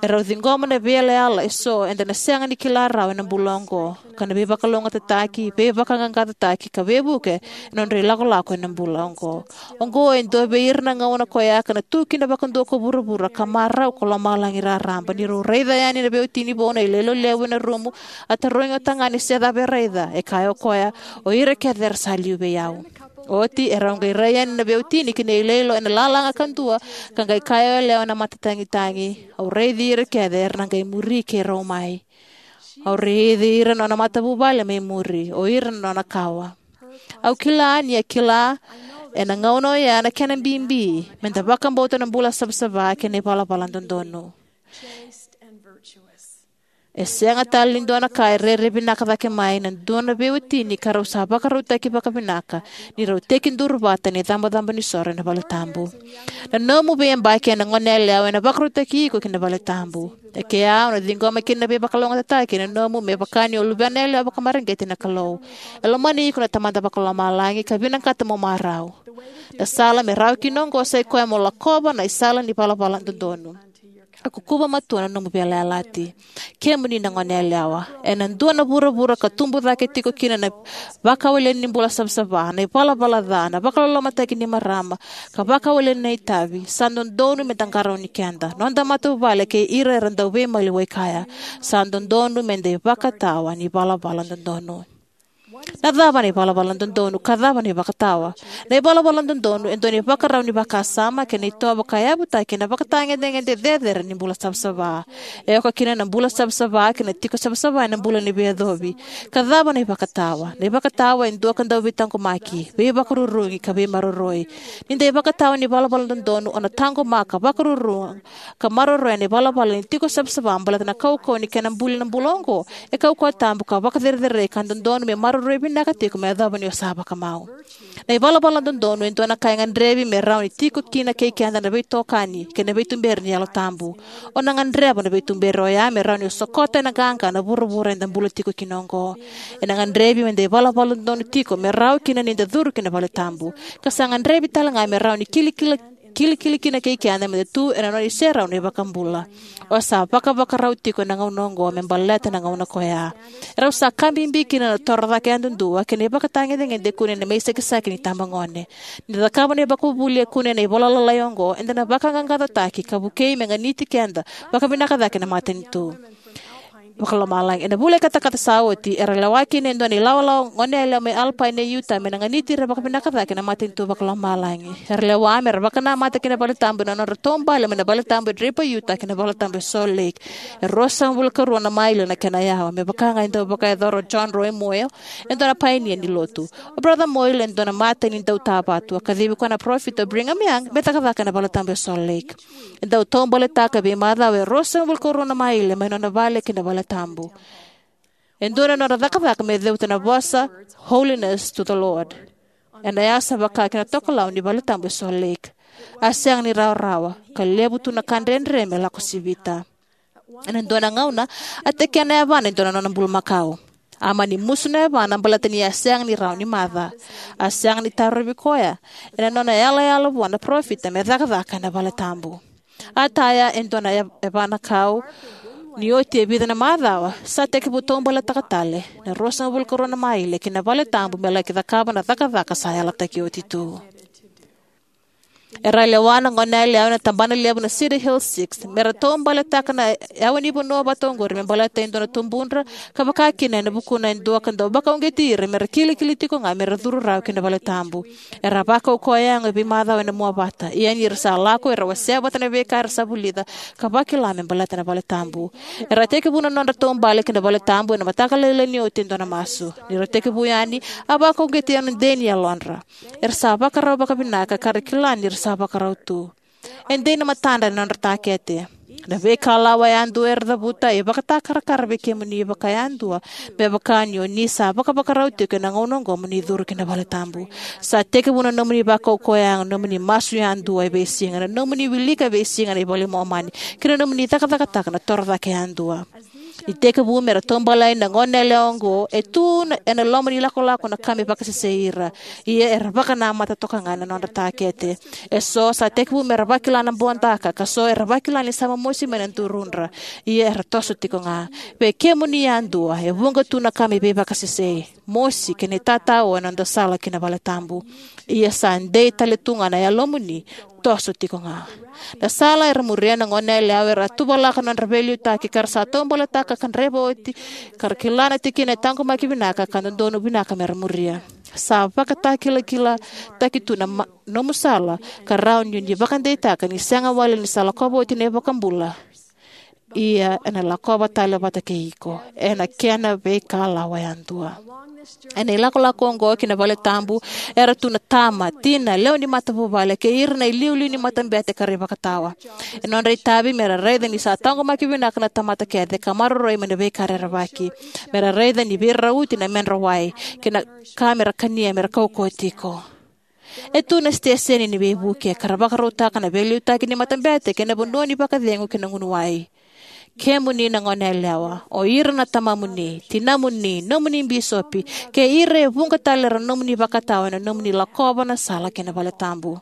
e rau ciqoma na veiyalayala eso eda na sega ni kila rawa ena bula oqo, ka na veivakalougatataki, veivakaqaqacotaki ka veivuke ena nodra ilakolako ena bula oqo. Oqo e dua vei ira na gauna koya ka na tu kina vakadua ko vuravura ka marau ko lomalagi raraba, ni rau raica yani na veiwatini vou na iloilo levu ena rumu, a tarogi o tagane se cava e raica. E kaya o koya, o ira kece era sa liu vei au. Oti e rau qai rai yani na veiwatini ki na iloilo ena lalaga kadua, ka qai kaya o yalewa ena matatagitagi, au raici ira kece era na qai muri keirau mai. Au raici ira na nona matavuvale mai muri, o ira na nona kawa. Au kila ni a kila ena gauna oya na kena bibi me da vakabauta na bula savasava kei na ivalavala dodonu. E sega tale ni dua na ka e rere vinaka cake mai na dua na veiwatini ka rau sa vakarautaki vakavinaka ni rau tekiduru vata ena icabocabo ni soro ena vale tabu. Na nomu veiyabaki ena goneyalewa ena vakarautaki iko ki na vale tabu. E kea o na ciqoma kina na veivakalougatataki ena nomu me vaka ni o luvena yalewa vakamareqeti na Kalou. E lomani iko na Tamada Vakalomalagi ka vinakata mo marau. Na sala me rawa kina oqo sa i koya mo lakova na isala ni valavala dodonu. A kukuva matua na nomu veiyalayalati. Kemuni na goneyalewa, ena dua na vuravura ka tubu cake tiko kina na vakawaleni ni bula savasava, na ivalavala ca, na vakalolomataki ni marama, ka vakawaleni na itavi, sa dodonu me da qarauni keda, noda matavuvale kei ira era dau veimaliwai kaya. Sa dodonu me da ivakatawa ni valavala dodonu. Na cava na ivalavala dodonu ka cava na ivakatawa? Na ivalavala dodonu e dua na ivakarau ni vakasama kei na itovo ka yavutaki ena vakatagedegede cecere ni bula savasava. E oka kina na bula savasava kei na tiko savasava ena bula ni veiyacovi. Ka cava na ivakatawa? Na ivakatawa e dua ka dau veitaqomaki, veivakarurugi ka veimaroroi. Ni da ivakatawa ni valavala dodonu o na taqomaka, vakaruru ka maroroya na ivalavala ni tiko savasava baleta na kaukauwa ni kena buli na bula oqo. E kaukauwa tabu ka vakacerecerei ka dodonu me maroroi vinaka tiko me yacova ni o sa vakamau. Na ivalavala dodonu e dua na ka e gadrevi me rawa ni tiko kina kei keda na veitokani kei na veituberi ni Yalo Tabu. O na gadreva na veituberi oya me rawa ni o sokota ena qaqa na vuravura eda bula tiko kina oqo. Ena gadrevi me da ivalavala dodonu tiko me rawa kina ni da curu ki na vale tabu. Ka sa gadrevi tale ga me rawa ni kilikila kilikili kina kei keda me da tu ena nona iserau na iVakabula. O sa vakavakarau tiko ena gauna oqo me baleta na gauna ko ya. Erau sa ka bibi kina na toro cake yadudua kei na ivakatagedegede e kune ena mai sakisaki ni itabagone. Ni da cakava na ivakavuvuli e kune ena ivola lalai oqo, eda na vaqaqacotaki ka vukei me ganiti keda vakavinaka cake na matanitu vakalomalagi. Ena vula i katakata sa oti, era lewa kina e dua na ilawalawa goneyalewa mai Alpine e Utah me na ganiti ira vakavinaka cake na matanitu vakalomalagi. Era lewa me ra vakanamata ki na valetabu ena nodra taubale mai na valetabu e Draper, Utah, ki na valetabu e Salt Lake. E ruasagavulu ka rua na maile na kena yawa, me vaka ga e dau vakayacora o John Roy Moyle, e dua na painia ni Lotu. O Brother Moyle e dua na matai ni dautavatu, a kacivi koya na parofita o Brigham Young me cakacaka ena valetabu e Salt Lake. E dau taubaletaka e veimacawa e ruasagavulu ka rua na maile mai nona vale ki na valetabu. E dua na nodra cakacaka me cavuta na vosa Holiness to the Lord ena yasa vaka ki na tokalau ni valetabu e Salt Lake. A sega ni rawarawa, ka levu tu na ka dredre me lako sivita. Ena dua na gauna, a tekena e yavana e dua na nona bulumakau. A mani musu na yavana baleta ni a sega ni rawa ni maca. A sega ni tarovi koya ena nona yalayala vua na parofita me cakacaka ena valetabu. A taya e dua na ya- yavana kau. Ni oti e vica na macawa, sa tekivu taubaletaka tale na ruasagavulu ka rua na maile ki na valetabu me laki cakava na cakacaka sa yalataki oti tu. Era lewa na goneyalewa ena tabana levu na Cedar Hill Six me ra taubaletaka na yawa ni vanua vata oqori me baleta e dua na tubudra, ka vaka kina ena vukuna e dua ka dau vakauqeti ira me ra kilikili tiko ga me ra curu rawa ki na valetabu. Era vakaukauwa yago e veimacawa ena mua vata, ia ni ra sa lako era wasea vata na veika era sa vulica ka vakila me baleta na valetabu. Era tekivu na nodra taubale ki na valetabu ena mataka lailai ni oti e dua na masu. Ni ra tekivu yani, a vakauqeti ena dei ni yalodra. Era sa vakarau vakavinaka ka ra kila ni ra sa vakarau tu. E dei na matadra ena nodra takete. Na veikalawa yadua era cavuta e vakatakarakara vei kemuni vakayadua, me vaka ni o ni sa vakavakarau tiko ena gauna oqo mo ni curu ki na valetabu. Sa tekivu na nomuni vakaukauwa yago, nomuni masu yadua e veisiga, na nomuni wilika e veisiga na iVola i Momani, kei na nomuni cakacakataka na torocake yadua. Ni tekivu me ra taubale yani na goneyalewa oqo, e tu na- ena loma ni lakolako na ka me vakasesei ira. Ia era vakanamata toka ga ena nodra takete. Eso sa tekivu me ra vakila na bodaka, ka so era vakila ni sa momosi mai na durudra. Ia era toso tiko ga. Vei kemuni yadua, e vuqa tu na ka me veivakasesei, mosi, kei na itatao ena noda sala ki na valetabu. Ia sa dei tale tu ga na yalomuni, toso tiko ga. Na sala era muria na goneyalewa era tuvalaka na nodra veiliutaki ka ra sa taubaletaka ka draiva oti, ka ra kila na tikina e taqomaki vinaka ka dodonu vinaka me ra muria. Sa vakatakilakilataki tu na ma- nomu sala ka rawa ni o ni vakadeitaka ni sega wale ni sa lakova oti na iVakabula. Ia ena lakova tale vata kei iko ena kena veikalawa yadua. Ena ilakolako oqo ki na valetabu, era tu na tama, tina, lewe ni matavuvale, kei ira na iliuliu ni matabete ka ra ivakatawa. E nodra itavi me ra raica ni sa taqomaki vinaka na tamata kece ka maroroi mai na veika rerevaki. Me ra raica ni veirauti na medra wai, kei na ka me ra kania me ra kaukauwa tiko. E tu na siteseni ni veivuke ka ra vakarautaka na veiliutaki ni matabete kei na vanua ni vakacegu kei na gunu wai. Kemuni na goneyalewa, o ira na tamamuni, tinamuni, nomuni bisopi, kei ira e vuqa tale era nomuni vakatawa ena nomuni lakova na sala ki na valetabu.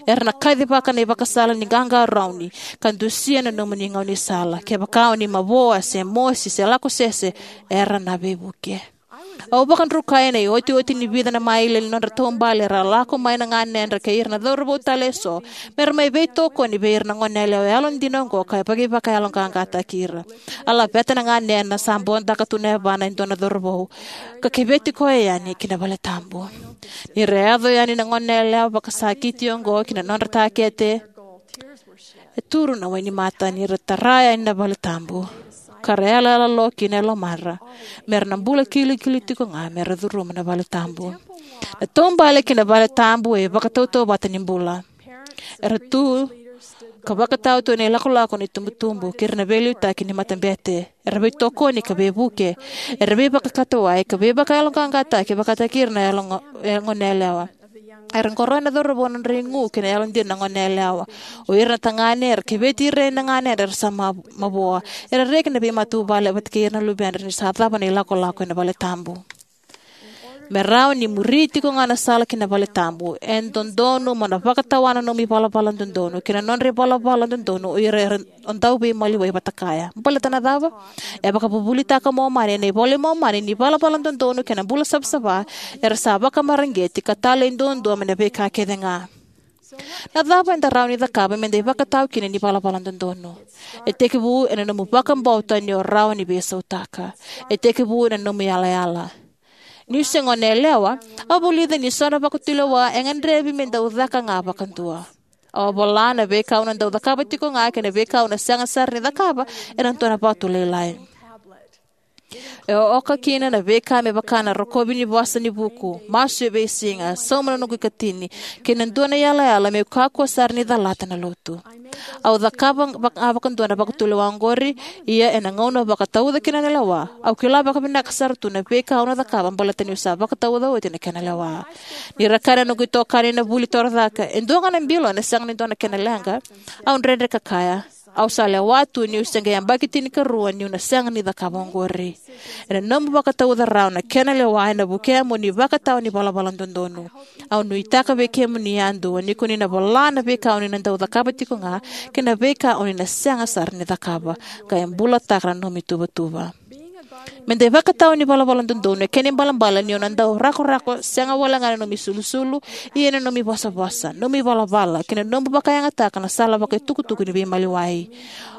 Era na kacivaka na ivakasala ni qaqarauni ka dusia na nomuni gaunisala, kevaka o ni mavoa se mosi se lako sese, era na veivuke. Au vakadrukai ena iotioti ni vica na maile ni nodra taubale era lako mai na ganedra kei ira na cauravou tale eso me ra mai veitokoni vei ira na goneyalewa yalodina oqo ka vakaivakayaloqaqataki ira. A laveta na ganena sa bodaka tu na yavana e dua na cauravou ka keveti koya yani ki na valetabu. Ni ra yaco yani na goneyalewa vakasakiti oqo ki na nodra takete, e turu na wainimata ni ra tara yani na valetabu ka ra yalayala lo kina e lomadra me ra na bula kilikili tiko ga me ra curuma na valetabu. Na taubale ki na valetabu e vakatautauvata ni bula. Era tu ka vakatawa tu ena ilakolako ni tubutubu kei ira na veiliutaki ni matabete. Era veitokoni ka veivuke. Era veivakakatawai ka veivakayaloqaqataki vakataki ira na yalo- goneyalewa. Era qoroya na cauravou na nodra igu kei na yalodina na goneyalewa. O ira na tagane era keveti ira na ganedra era sa ma- mavoa. Era reki na veimatavuvale vata kei ira na luvedra ni sa cava na ilakolako ena valetabu. Me rawa ni muri tiko ga na sala ki na vale tabu, e dodonu mo na vakatawa na nomu ivalavala dodonu kei na nodra ivalavala dodonu o ira era o dau veimaliwai vata kaya. Baleta na cava? E vakavuvulitaka Momani ena iVola i Momani ni ivalavala dodonu kei na bula savasava era sa vakamareqeti ka talei duadua mai na veika kece ga. Na cava eda rawa ni cakava me da ivakatawa kina ni ivalavala dodonu? E tekivu ena nomu vakabauta ni o rawa ni veisautaka. E tekivu ena nomu yalayala. Niu se gone yalewa, au vulica ni so na vakatulewa e gadrevi me dau caka ga vakadua. Au a vola na veika au na dau cakava tiko ga kei na veika au na sega sara ni cakava ena dua na vatu lailai. E oka kina na veika me vaka na rokovi ni vosa ni vuku, masu e veisiga, sauma na noqu ikatini, kei na dua na yalayala meu kakua sara ni calata na lotu. Au cakava vaka, vakadua na vakatulewa oqori, ia ena gauna au vakatauca kina na lewa, au kila vakavinaka sara tu na veika au na cakava baleta niu sa vakatauca oti na kena lewa. Ni ra kaya na noqu itokani ena vuli torocake, e dua ga na bilo ena sega ni dua na kena leqa, au dredre ka kaya, au sa lewa tu niu se qai yabaki tinikarua niu na sega ni cakava oqori. Ena nomu vakatauca rawa na kena lewa ena vukea mo ni vakatawa ni valavala dodonu. Au nuitaka vei kemuni yadua ni ko ni na vola na veika o ni na dau cakava tiko ga kei na veika o ni na sega sara ni cakava, ka e bulataka na nomu ituvatuva. Me da ivakatawa ni valavala dodonu e kena ibalebale ni o na dau rakorako sega wale ga na nomu isulusulu, ia na nomu ivosavosa, nomu ivalavala kei na nomu vakayagataka na sala vakaitukutuku ni veimaliwai.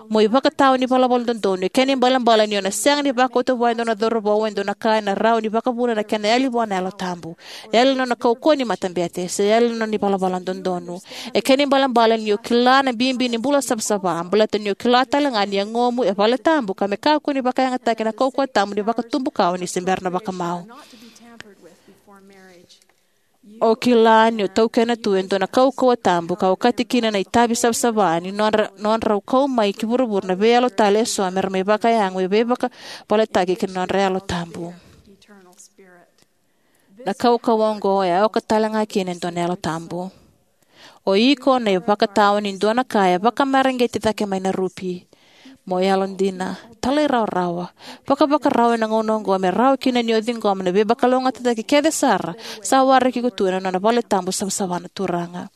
Mo ivakatawa ni valavala dodonu e kena ibalebale ni o na sega ni vakauta vua e dua na cauravou e dua na ka ena rawa ni vakavuna na kena yali vua na Yalo Tabu. Yali na nona kaukauwa ni matabete se yali na nona ivalavala dodonu. E kena ibalebale ni o kila na bibi ni bula savasava baleta ni o kila tale ga ni yagomu e vale tabu ka me kakua ni vakayagataki na kaukauwa tabu ni vakatubu kawa ni se bera na vakamau. O kila ni o taukena tu e dua na kaukauwa tabu ka okati kina na itavi savasava ni nodra, nodrau kau mai ki vuravura na veiyalo tale eso me ra mai vakayago, e veivakavaletaki ki na nodra Yalo Tabu. Na kaukauwa oqo e oka tale ga kina e dua na Yalo Tabu. O iko na ivakatawa ni dua na ka e vakamareqeti cake mai na rupi. Mo yalodina, talairawarawa, vakavakarau ena gauna oqo me rawa kina ni o ciqoma na veivakalougatataki kece sara sa waraki iko tu ena nona vale tabu savasava na Turaga.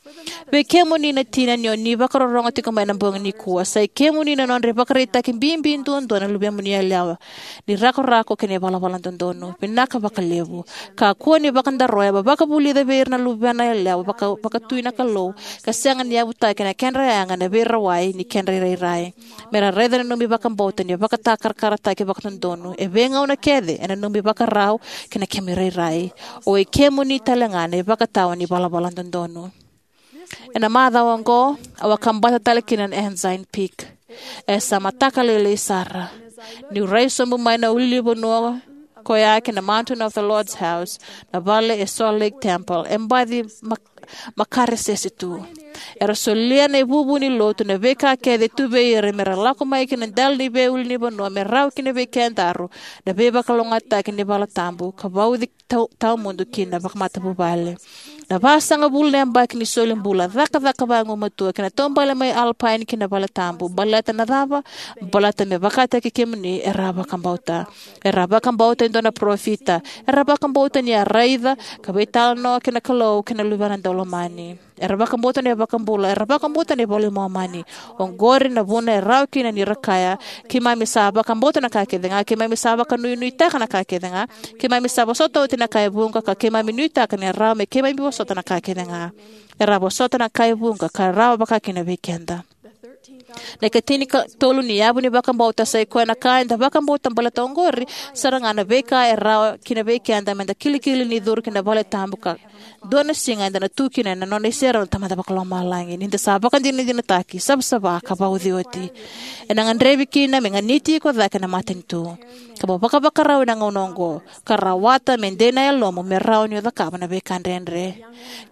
Vei kemuni na tina ni o ni vakarorogo tiko mai na bogi nikua, sai kemuni na nodra ivakaraitaki bibi duadua na luvemuni yalewa ni rakorako kei na ivalavala dodonu. Vinaka vakalevu. Kakua ni vakadaroya, vakavulica vei ira na luvena yalewa vaka, vakatui na Kalou ka sega ni yavutaki na kedra yaga na veirawai ni kedra irairai. Me ra raica na nomu ivakabauta ni vakatakarakarataki vakadodonu e veigauna kece ena nomu ivakarau kei na kemu irairai. O i kemuni tale ga na ivakatawa ni valavala dodonu. Ena macawa oqo, au a kabata tale kina na Ensign Peak. E sa mataka lailai sara. Niu rai sobu mai na ulunivanua koya ki na Mountain of the Lord's House, na vale e Salt Lake Temple, e baci mak-, makaresese tu. Era solia na ivuvu ni lotu na veika kece tu vei ira me ra lako mai ki na dela ni veiulunivanua me rawa kina vei kedaru na veivakalougatataki ni vale tabu ka vauci tau-, tawamudu ki na vakamatavuvale. Na vasagavulu na yabaki ni soli bula, cakacaka vagumatua kei na taubale mai Alpine ki na vale tabu. Baleta na cava? Baleta me vakataki kemuni era vakabauta. Era vakabauta e dua na parofita. Era vakabauta ni a raica ka veitalanoa kei na Kalou kei na Luvena Daulomani. Era vakabauta na iVakabula, era vakabauta na iVola i Momani. Oqori na vuna e rawa kina ni ra kaya, keimami sa vakabauta na ka kece ga, keimami sa vakanuinuitaka na ka kece ga, keimami sa vosota oti na ka e vuqa, ka keimami nuitaka ni rawa me keimami vosota na ka kece ga. Era vosota na ka e vuqa ka rawa vaka kina vei keda. Na ikatinikatolu ni yavu ni vakabauta sai koya na ka eda vakabauta baleta oqori sara ga na veika e rawa kina vei keda me da kilikili ni curu ki na vale tabu ka dua na siga eda na tu kina ena nona iserau na Tamada Vakalomalagi ni da sa vakadinadinataki, savasava ka vauci oti. Ena gadrevi kina me ganiti iko cake na matanitu. Ka mo vakavakarau ena gauna oqo ka rawata me dei na yalomu me rawa ni o cakava na veika dredre.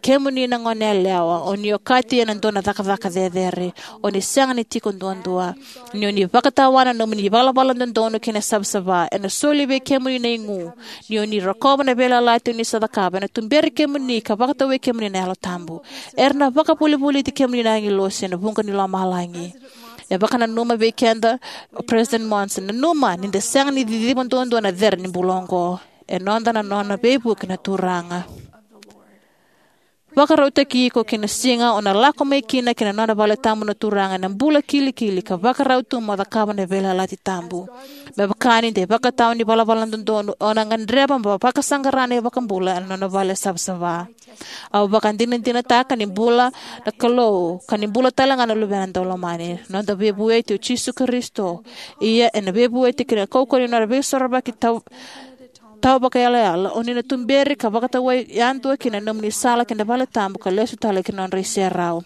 Kemuni na gone yalewa, o ni okati ena dua na cakacaka cecere. O ni sega ni tiko duadua. Ni o ni vakatawa na nomuni ivalavala dodonu kei na savasava, ena soli vei kemuni na igu. Ni o ni rokova na veiyalayalati o ni sa cakava, ena tuberi kemuni ka vakatawai kemuni na Yalo Tabu. Era na vakavolivoliti kemuni na agilosi ena vuqa ni lomalagi. E vakananuma vei keda o President Monson, nanuma ni da sega ni ciciva duadua na cere ni bula oqo. e noda na nona veivuke na Turaga. Vakarautaki iko ki na siga o na lako mai kina ki na nona vale tabu na Turaga ena bula kilikili ka vakarau tu mo cakava na veiyalayalati tabu. Me vaka ni da ivakatawa ni valavala dodonu, o na gadreva mo vakasaqara na iVakabula ena nona vale savasava. Au vakadinadinataka ni bula na Kalou ka ni bula talega na Luvena Daulomani, noda veivueti o Jisu Karisito. Ia ena veivueti ki na kaukauwa ni nona veisorovaki tau tau vakayalayala, o ni na tuberi ka vakatawai yadua ki na nomuni sala ki na vale tabu ka lesu tale ki na nodra iserau.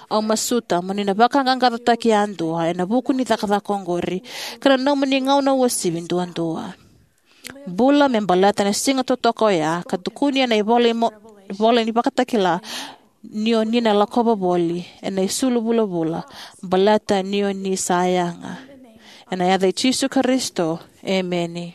Au masuta mo ni na vakaqaqacotaki yadua ena vuku ni cakacaka oqori, ka na nomuni gauna uasivi duadua. Bula me baleta na siga totoka oya ka tukuni ena ivola, imo, ivola ni Vakatakila, ni o ni na lakova voli ena isulu vulavula, baleta ni o ni sa yaga. Ena yaca i Jisu Karisito, emeni.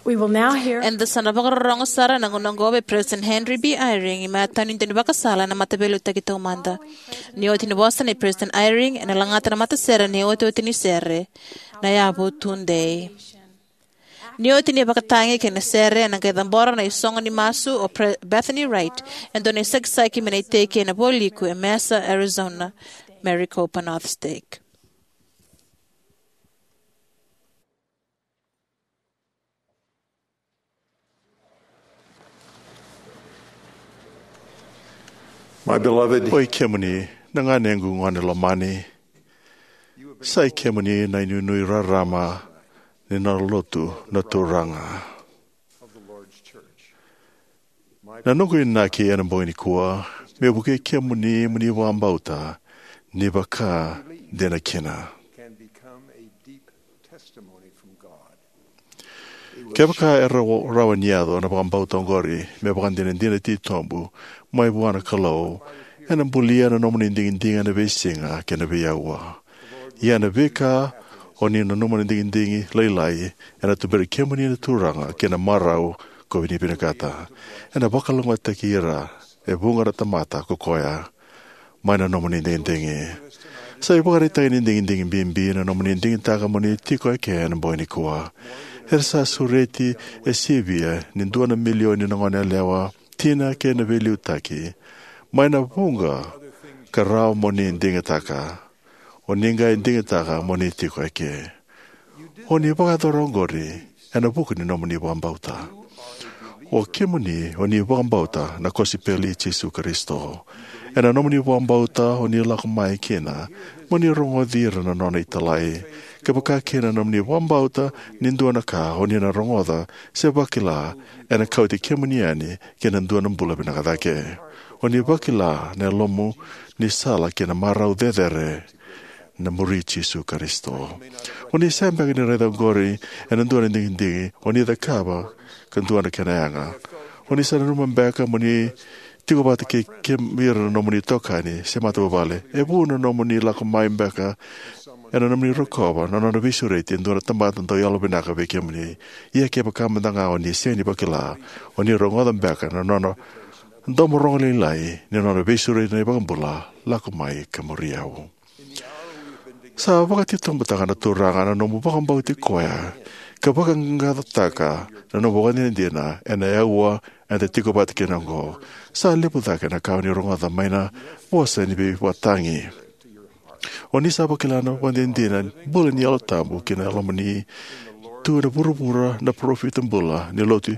We will now hear Eda sa na vakarorogo sara ena gauna oqo vei President Henry B. Eyring, me a tau ni daunivakasala ena Mataveiliutaki Taumada. Ni oti ni vosa nei President Eyring, ena lagata na matasere ni otioti ni sere, Na Yavu Tudei. Ni oti ni vakatagi kei na sere, ena qai cabora na isogo ni masu o Pre-, Bethany Wright, e dua na isakisaki mai na iteki ena Vualiku e Mesa, Arizona, Maricopa North Stake. My beloved, Oi kemuni, na ganequ gone lomani, sa i kemuni na inuinui rarama ni nona lotu na Turaga. Na noqu inaki ena bogi nikua, me vukei kemuni mo ni vakabauta ni vaka dina kina. Kevaka e rawa, rawa ni yaco na vakabauta oqori me vakadinadina titobu mai vua na Kalou, ena bulia na nomuni digidigi ena veisiga kei na veiaua. Ia na veika o ni nanuma na digidigi lailai, ena tuberi kemuni na Turaga ki na marau ko ni vinakata. Ena vakalougatataki ira e vuqa na tamata ko koya mai na nomuni digidigi. Sa ivakaraitaki ni digidigi bibi na nomuni digitaka mo ni tiko eke ena bogi nikua. Era sa sureti e sivia ni dua na milioni na goneyalewa, tina kei na veiliutaki, mai na vuqa ka rawa mo ni digitaka. O ni qai digitaka mo ni tiko eke. O ni vakayacora oqori ena vuku ni nomuni vakabauta. O kemuni o ni vakabauta na kosipeli i Jisu Karisito. Ena nomuni vakabauta o ni lako mai kina mo ni rogoci ira na nona italai. Kevaka kina na nomuni vakabauta ni dua na ka o ni na rogoca se vakila, ena kauti kemuni yani ki na dua na bula vinaka cake. O ni vakila na yalomu ni sala ki na marau cecere na muri Jisu Karisito. O ni sega beka ni raica oqori ena dua na digidigi o ni cakava ka dua na kena yaga. O ni sa nanuma beka mo ni tiko vata kei ira na nomuni itokani se matavuvale. E vu na nomuni lako mai beka ena nomuni rokova na nona veisureti e dua na tamata dau yalovinaka vei kemuni. Ia kevaka mada ga o ni sega ni vakila, o ni rogoca beka na nona domo rogo lailai ni nona veisureti na iVakabula, lako mai ka muri au. Sa vakatitobutaka na Turaga na nomu vakabauti koya ka vaqaqacotaka na nomu vakadinadina ena aua eda tiko vata kina oqo. Sa levu cake na ka o ni rogoca mai na vosa ni veivakatagi. O ni sa vakila na vakadinadina bula ni Yalo Tabu ki na lomani. Tu ena vuravura na parofita bula ni lotu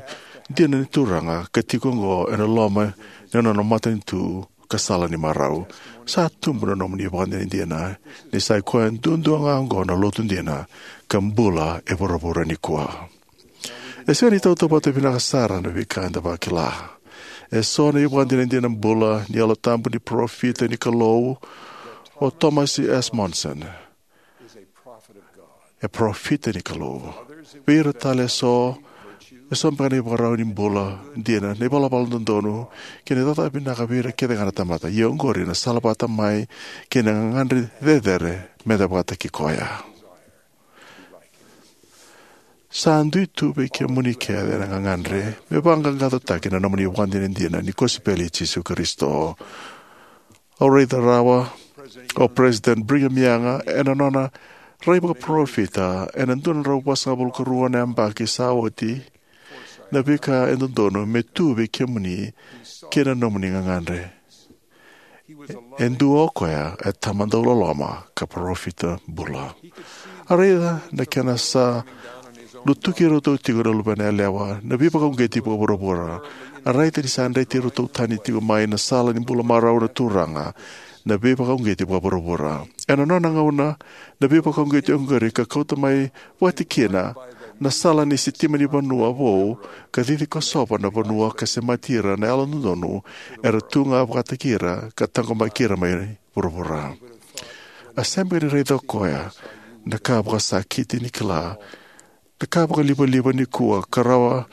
dina ni Turaga ka tiko oqo ena loma ni nona matanitu ka sala ni marau. Sa tubu na nomuni vakadinadina ni sa i koya duadua ga oqo na lotu dina ka bula e vuravura nikua. E sega ni tautauvata vinaka sara na veika eda vakila. E so na ivakadinadina bula ni Yalo Tabu ni parofita ni Kalou o Thomas S. Monson. E parofita ni Kalou. Vei ira tale e so, e so beka na ivakarau ni bula dina, na ivalavala dodonu kei na icavacava vinaka vei ira kece ga na tamata. Ia oqori na sala vata mai kei na gagadre cecere meda vakataki koya. Sa dui tu vei kemuni kece na gagadre me vaqaqacotaki na nomuni vakadinadina ni kosipeli i Jisu Karisito. Au raica rawa o President Brigham Young ena nona rai vakaparofita ena dua na drau vasagavulu ka rua na yabaki sa oti, na veika e dodonu me tu vei kemuni kei na nomuni gagadre. E dua o koya e tama dau loloma ka parofita bula. A raica na kena sa lutuki iratou tiko na luvena yalewa na veivakauqeti vakavuravura. A raica ni sa dreti iratou tani tiko mai na sala ni bula marau na Turaga na veivakauqeti vakavuravura. Ena nona gauna na veivakauqeti oqori ka kauta mai vakatikina na sala ni sitima ni vanua vou ka cici kosova na vanua ka semati ira na yalododonu era tu ga vakataki ira ka taqomaki ira mai vuravura. A sega beka ni raica o koya na ka vakasakiti ni kila, na ka vakalivaliva nikua ka rawa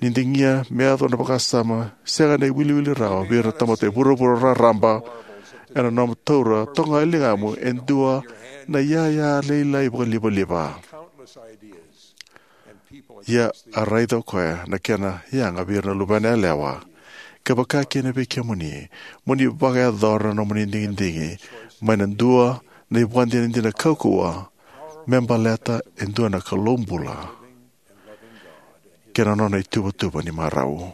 ni digia me yaco na vakasama sega na iwiliwili rawa vei ira na tamata e vuravura raraba. Ena nomu taura toka ga e ligamu e dua na iyaya lailai vakalivaliva. Ia a raica o koya na kena yaga vei ira na luvena yalewa, ka vaka kina vei kemuni, mo ni vakayacora na nomuni digidigi mai na dua na ivakadinadina kaukauwa me baleta e dua na Kalou bula kei na nona ituvatuva ni marau.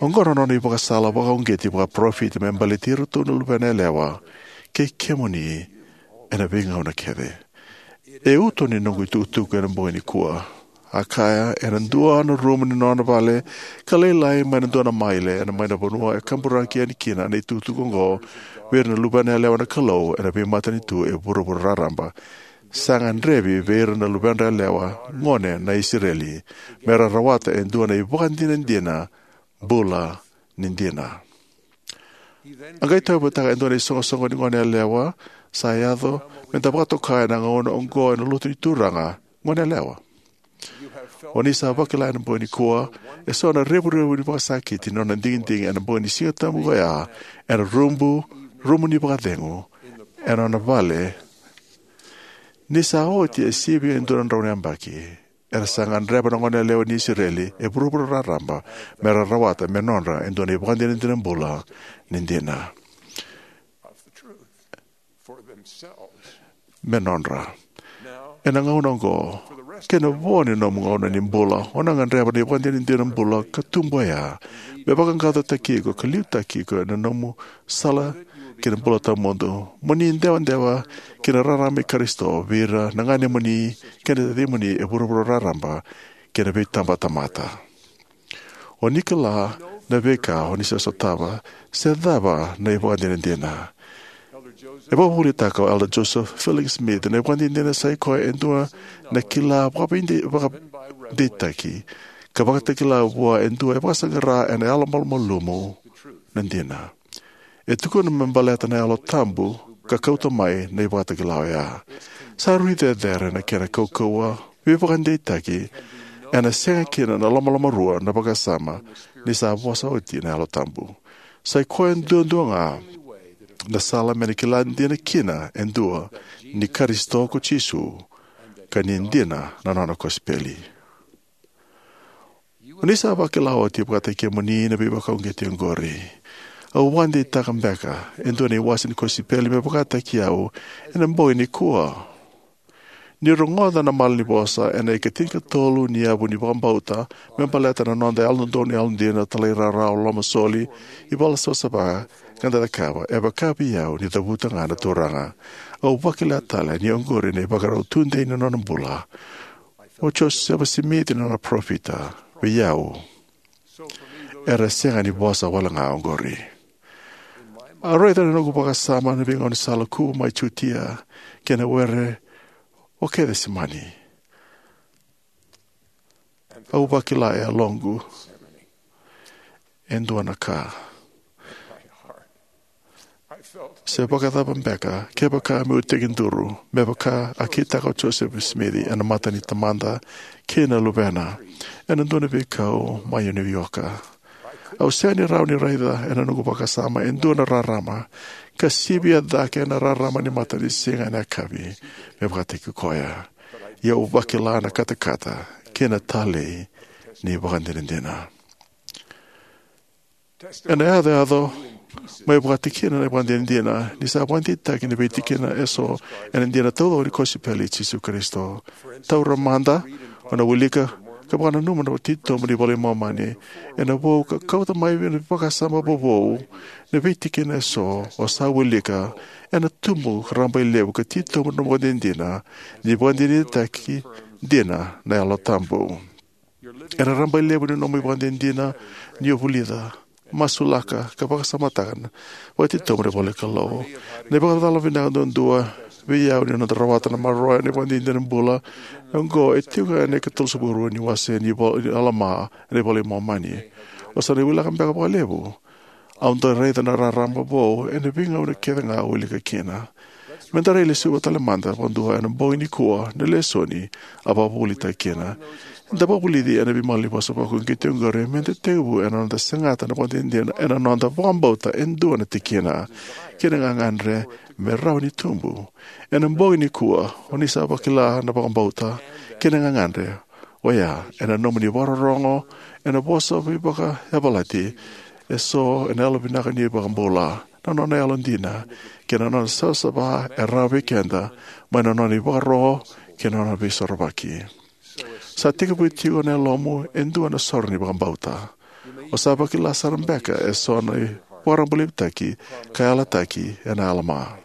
Oqo na nona ivakasala vakauqeti vakaparofita me baleti iratou na luvena yalewa kei kemuni ena veigauna kece. E uto ni noqu itukutuku ena bogi nikua. A kaya, ena dua na rumu ni nona vale ka lailai mai na dua na maile ena mai na vanua e kaburaki yani kina na itukutuku oqo vei ira na luvena yalewa na Kalou ena veimatanitu e vuravura raraba. Sa gadrevi vei ira na luvedra yalewa gone na Isireli me ra rawata e dua na ivakadinadina bula ni dina. A qai tauyavutaka e dua na isoqosoqo ni gone yalewa sa yaco me da vakatoka ena gauna oqo ena lotu ni Turaga, gone yalewa. O ni sa vakila ena bogi nikua eso na revurevu ni vakasakiti ni nona digidigi ena bogi ni Siga Tabu oya ena rubu, rumu ni vakacegu ena nona vale. Ni sa oti e sivia e dua na drau na yabaki, era sa gadreva na gone yalewa ni Isireli e vuravura raraba me ra rawata me nodra e dua na ivakadinadina bula ni dina. Me nodra. Ena gauna oqo, kei na vo ni nomu gauna ni bula, o na gadreva na ivakadinadina bula ka tubu oya me vaqaqacotaki iko ka liutaki iko ena nomu sala ki na bula tawamudu. Mo ni dewadewa ki na rarama i Karisito vei ira na ganemuni kei na tacimuni e vuravura raraba kei na veitabatamata. O ni kila na veika o ni sa sotava se cava na ivakadinadina. E vakavuvulitaka o Elder Joseph Fielding Smith na ivakadinadina sa i koya e dua na kila vakaveide-, vakadeitaki ka vakatakila vua e dua e vakasaqara ena yalomalumalumu na dina. E tukuna me baleta na Yalo Tabu ka kauta mai na ivakatakila oya. Sa rui cecere na kena kaukauwa, veivakadeitaki, ena sega kina na lomalomarua na vakasama ni sa vosa oti na Yalo Tabu. Sa i koya duadua ga na sala me na kila dina kina e dua ni Karisito ko Jisu ka ni dina na nona kosipeli. O ni sa vakila oti vakataki kemuni na veivakauqeti oqori. Au vakadeitaka beka e dua na iwase ni kosipeli me vakataki au ena bogi nikua. Ni rogoca na malanivosa ena ikatinikatolu ni yavu ni vakabauta me baleta na noda yalododonu, yalodina, talairawarawa, lomasoli, ivalasavasava ka da cakava, e vaka vei au ni cavuta ga na Turaga. Au vakila tale ni oqori na ivakarau tudei ni nona bula. O Josefa Simici na nona parofita vei au. Era sega ni vosa wale ga oqori. A raica na noqu vakasama na veigaunisala ku mai Jutia kei na were o Kecisemani. Au vakila e yaloqu e dua na ka. Se vakacava beka kevaka meu tekiduru me vaka a kitaka o Josefa Simici ena mata ni Tamada kei na Luvena ena dua na veikau mai Niu Yoka. Au sega ni rawa ni raica ena noqu vakasama e dua na rarama ka sivia cake na rarama ni matanisiga ena yakavi me vakataki koya. Ia au vakila na katakata kei na talei ni vakadinadina. Ena yacoyaco mai vakatikina na ivakadinadina ni sa vakadeitaki na veitikina eso ena dina taucoko ni kosipeli i Jisu Karisito. Taura mada, o na wilika ka vakananuma na titobu ni Vola i Momani ena vou ka kauta mai na vakasama vovou. Na veitikina eso o sa wilika ena tubu ka rabailevu ka titobu na ivakadinadina ni vakadinadinataki dina na Yalo Tabu. Ena rabailevu ni nomu ivakadinadina ni o vulica, masulaka ka vakasamataka na vakatitobu ni ivola ni Kalou. Na ivakacala vinaka duadua vei au ni noda rawata na maroroya ni ivakadinadina bula oqo e tiko ena ikatolusagavulu ni wase ni vo-, ni Alama ena iVola i Momani. O sa na wilika beka vakalevu. Au dau raica na rarama vou ena veigauna kece ga au wilika kina. Meda rai lesuva tale mada vakadua ena bogi nikua na lesoni a vakavuvulitaki kina. Eda vakavulici ena veimalanivosa vakauqeti oqori meda tekivu ena noda segata na vakadinadina ena noda vakabauta e dua na tikina kei na gagadre me rawa ni tubu. Ena bogi nikua o ni sa vakila na vakabauta kei na gagadre oya ena nomuni vakarorogo ena vosa veivakayavalati eso ena yalovinaka ni iVakabula, na nona yalodina, kei na nona savasava e rawa vei keda mai na nona ivakaro kei na nona veisorovaki. Sa tekivu tiko na yalomu e dua na soro ni vakabauta. O sa vakila sara beka eso na vakarabaulivitaki ka yalataki ena alama.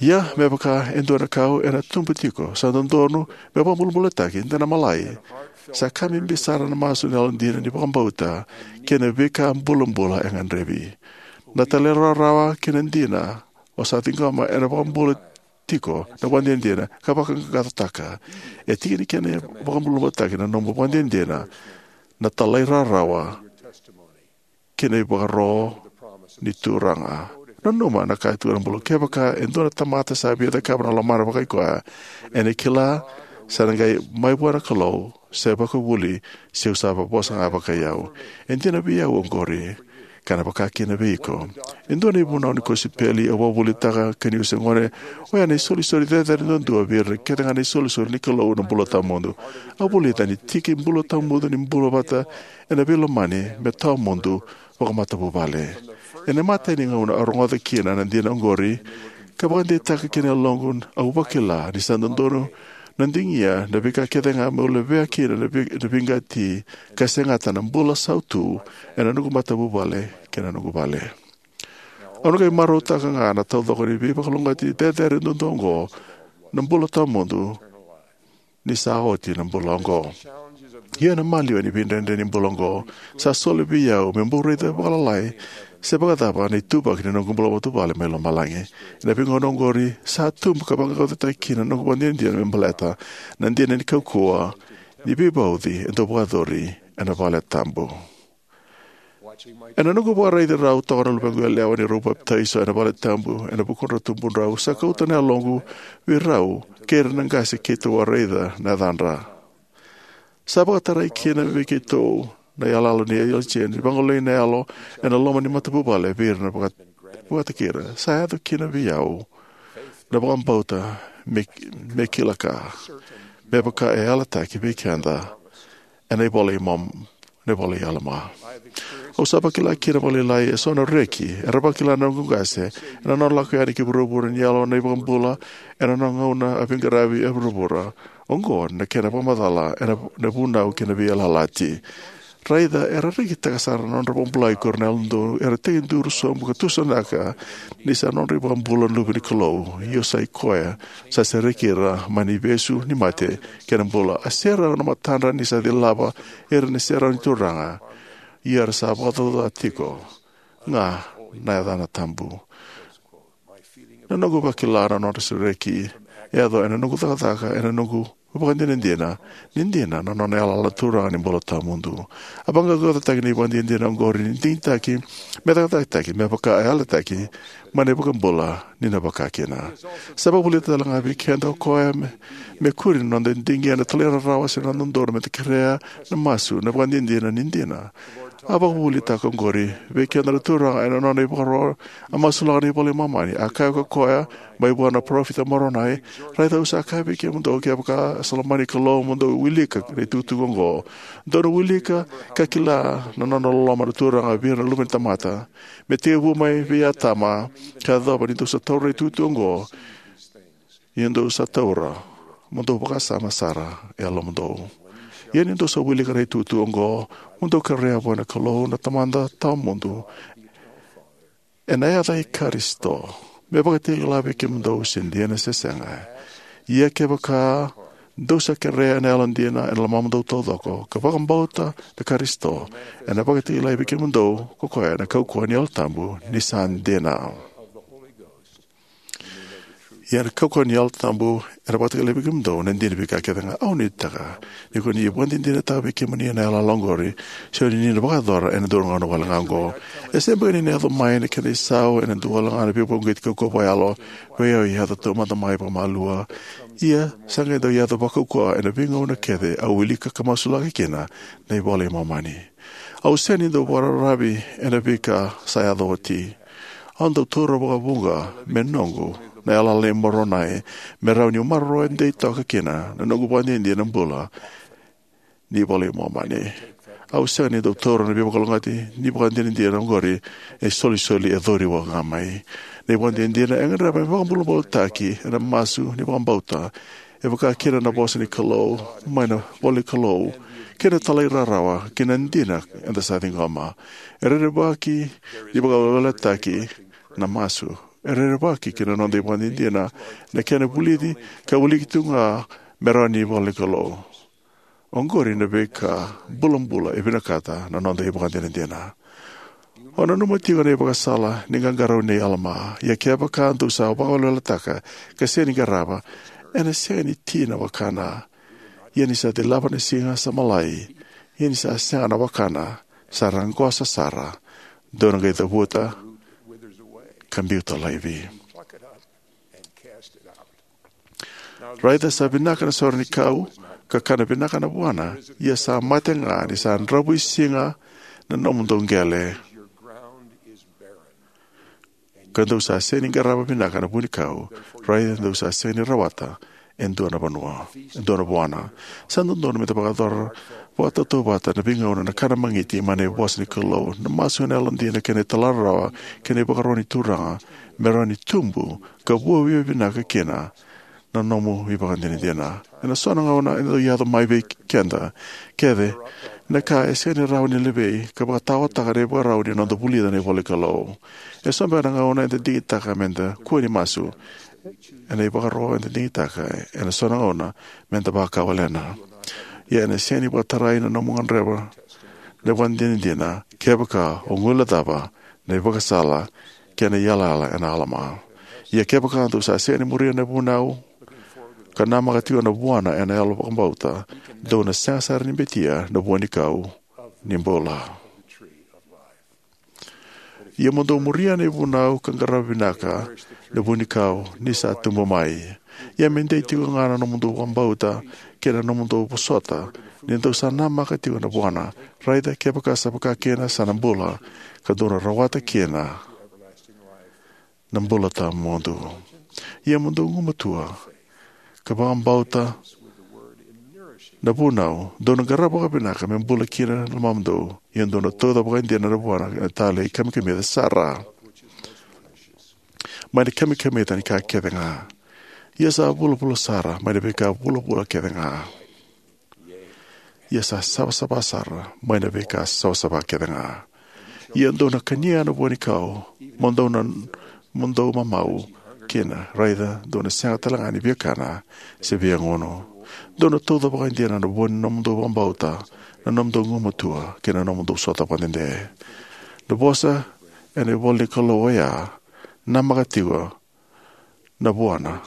Ia, me vaka e dua na kau ena tubu tiko, sa dodonu me vakabulabulataki, de na malai. Sa ka bibi sara na masu ni yalodina ni vakabauta kei na veika bulabula e gadrevi. Na talairawarawa kei na dina o sa ciqoma ena vakabula tiko na vakadinadina ka vakaqaqacotaka. E tiki ni kena vakabulabulataki na nomu vakadinadina na talairawarawa kei na ivakaro ni Turaga. Nanuma na ka e tukuna na Kalou: Kevaka e dua na tamata sa via cakava na lomana vakaikoya, ena kila sa na qai mai vua na Kalou, se vakavuli, se au sa vosa ga vakai au. E dina vei au oqori, ka na vaka kina vei iko. E dua na ivunau ni kosipeli au vakavuvulitaka ka niu se gone, oya na isolisoli cecere duadua vei ira kece ga na isolisoli ni Kalou na bula tawamudu. Au vulica ni tiki bula tawamudu ni bula vata ena veilomani me tawamudu vakamatavuvale. Ena imatai ni gauna au rogoca kina na dina oqori ka vakadeitaka kina na yaloqu, au vakila ni sa dodonu na digia na veika kece ga meu levea kina na vei-, na veiqati ka segata na bula sautu ena noqu matavuvale kei na noqu vale. Au na qai marautaka ga na taucoko ni veivakalougatataki cecere duadua oqo, na bula tawamudu, ni sa oti na bula oqo. Ia na maliwa ni veidredre ni bula oqo sa soli vei au meu bau raica vakalailai se vakacava na ituvaki ni noqu bula matavuvale mai lomalagi. Ena veigauna oqori sa tubu ka vaqaqacotaki kina na noqu vakadinadina me baleta na dina ni kaukauwa ni veivauci e dau vakayacori ena vale tabu. Ena noqu vakaraici rau toka na luvequ yalewa ni rau papitaiso ena vale tabu ena vukudra tubudrau, sa kauta na yaloqu vei rau kei ira na qase keitou a raica na yacadra. Sa vakatarai kina vei keitou na iyaloyalo ni Eosefa ni vagolei na yalo ena loma ni matavuvale vei ira na vaka-, vakataki ira. Sa yaco kina vei au na vakabauta me, me kila ka, me vaka e yalataki vei keda ena iVola i Mom-, na iVola i Alama. Au sa vakila kina vakalailai eso na reki era vakila na noqu qase ena nona lako yani ki vuravura ni yalo na iVakabula ena nona gauna a veiqaravi e vuravura. Oqo na kena vakamacala ena, na vunau kei na veiyalayalati. Raica era rekitaka sara na nodra vakabulai ko ira na yalododonu era tekiduru sobu ka tusanaka ni sa nodra iVakabula na Luve ni Kalou. Io, sa i koya sa sereki ira mai na ivesu ni mate kei na bula. A serau na matadra ni sa cilava ira na serau ni Turaga. Ia era sa vakacaucautaka tiko ga na yacana tabu. Na noqu vakila na nodra sereki e yaco ena noqu cakacaka, ena noqu vakadinadina ni dina na nona yalayala na Turaga ni bula tawamudu. A vaqaqacotaki na ivakadinadina oqori ni digitaki me cakacakataki me vaka e yalataki mai na iVakabula ni na vaka kina. Sa vakavulica tale ga vei keda o koya me, me kuri na noda digia na talairawarawa se na dodonu meda kerea na masu, na vakadinadina ni dina. A vakavuvulitaka oqori vei keda na Turaga ena nona ivakaro a masulaka na iVola i Momani. A kaya ko koya mai vua na parofita Moronai: Raica, au sa kaya vei kemudou, kevaka sa lomani Kalou, mo dou wilika na itukutuku oqo. Dou na wilika ka kila na nona loloma na Turaga vei ira na luve ni tamata, me tekivu mai vei Atama ka yacova ni dou sa taura na itukutuku oqo. Ia dou sa taura, mo dou vakasama sara e yalomudou. Ia ni dou sa wilika na itukutuku oqo, mo dou kerea vua na Kalou na Tamada tawamudu ena yaca i Karisito, me vakatakila vei kemudou se dina se sega. Ia kevaka dou sa kerea ena yalodina ena lomamudou taucoko, ka vakabauta na Karisito, ena vakatakilai vei kemudou ko koya na kaukauwa ni Yalo Tabu ni sa dina. Ia na kaukauwa ni Yalo Tabu era vakatakilai vei kemudou na dina ni veika kece ga. Au nuitaka ni ko ni vakadinadinataka vei kemuni na yalayala oqori, se o ni na vakayacora ena dua na gauna wale ga oqo. E se beka ni na yaco mai na kena isau ena dua wale ga na veivakauqeti kaukauwa vakayalo vei au e yaco taumada mai vakamalua. Ia sa qai dau yaco vakaukauwa ena veigauna kece au wilika ka masulaka kina na iVola i Momani. Au sega ni dau vakararavi ena veika sa yaco oti. Au dau taura vakavuqa me noqu na yalayala nei Moronai, me rawa niu maroroya dei toka kina na noqu ivakadinadina bula ni iVola i Momani. Au sega ni dau taura na veivakalougatataki ni ivakadinadina oqori e isolisoli e cori waqa mai. Na ivakadinadina e gadreva me vakabulabulataki ena masu ni vakabauta, e vaka kina na vosa ni Kalou mai na ivolanikalou, kei na talairawarawa ki na dina eda sa ciqoma. E rerevaki ni vakaweleweletaki na masu. E rerevaki ki na noda ivakadinadina na kena vulici ka wiliki tu ga me rawa ni ivolanikalou. Oqori na veika bulabula e vinakata na noda ivakadinadina. O nanuma tiko na ivakasala ni qaqarauni nei Alama: Ia kevaka dou sa vakaweleweletaka ka sega ni qarava, ena sega ni ti na wakana. Ia ni sa cilava na siga sa malai, ia ni sa sega na wakana, sa raqosa sara. Dou na qai cavuta ka biuta laivi. Raica sa vinaka na saura ni kau, ka kana vinaka na vuana, ia sa mate ga ni sa dravuisiga na nomudou qele, ka dou sa sega ni qarava vinaka na vunikau. Raica dou sa sega ni rawata e dua na vanua, e dua na vuana. Sa dodonu meda vakayacora vakatautauvata na veigauna na kana magiti mai na vosa ni Kalou, na masu ena yalodina kei na talairawarawa kei na ivakaro ni Turaga, me rawa ni tubu ka vuavuai vinaka kina na nomu ivakadinadina. Ena so na gauna e dau yaco mai vei keda kece na ka e sega ni rawa ni levei ka vakataotaka na ivakarau ni noda vulica na ivolanikalou. E so beka na gauna eda digitaka meda kua ni masu ena ivakaro eda digitaka. Ena so na gauna meda vakawalena. Ia ena sega ni vakatarai na nomu gadreva na ivakadinadina kevaka o guilecava na ivakasala kei na yalayala nei Alama. Ia kevaka dou sa sega ni muria na vunau ka namaka tiko na vuana ena yalo vakabauta, dou na sega sara ni betia na vuanikau ni bula. Ia mo dou muria na ivunau ka qarava vinaka na vuanikau ni sa tubu mai. Ia me dei tiko ga na nomudou vakabauta kei na nomudou vosota ni dou sa namaka tiko na vuana. Raica, kevaka sa vaka kina, sa na bula, ka dou na rawata kina na bula tawamudu. Ia mo dou gumatua ka vakabauta na vunau, dou na qarava vakavinaka me bula kina na lomamudou. Ia dou na tauca vakaidina na vuana ena talei kamikamica sara mai na kamikamica ni ka kece ga. Ia sa vulavula sara mai na veika vulavula kece ga. Ia sa savasava sara mai na veika savasava kece ga. Ia dou na kania na vuanikau, mo dou na, mo dou mamau kina. Raica, dou na sega tale ga ni viakana se viagunu. Dou na tauca vakaidina na vua ni nomudou vakabauta, na nomudou gumatua kei na nomudou sota vakadede. Na vosa ena ivolanikalou oya, namaka tiko na vuana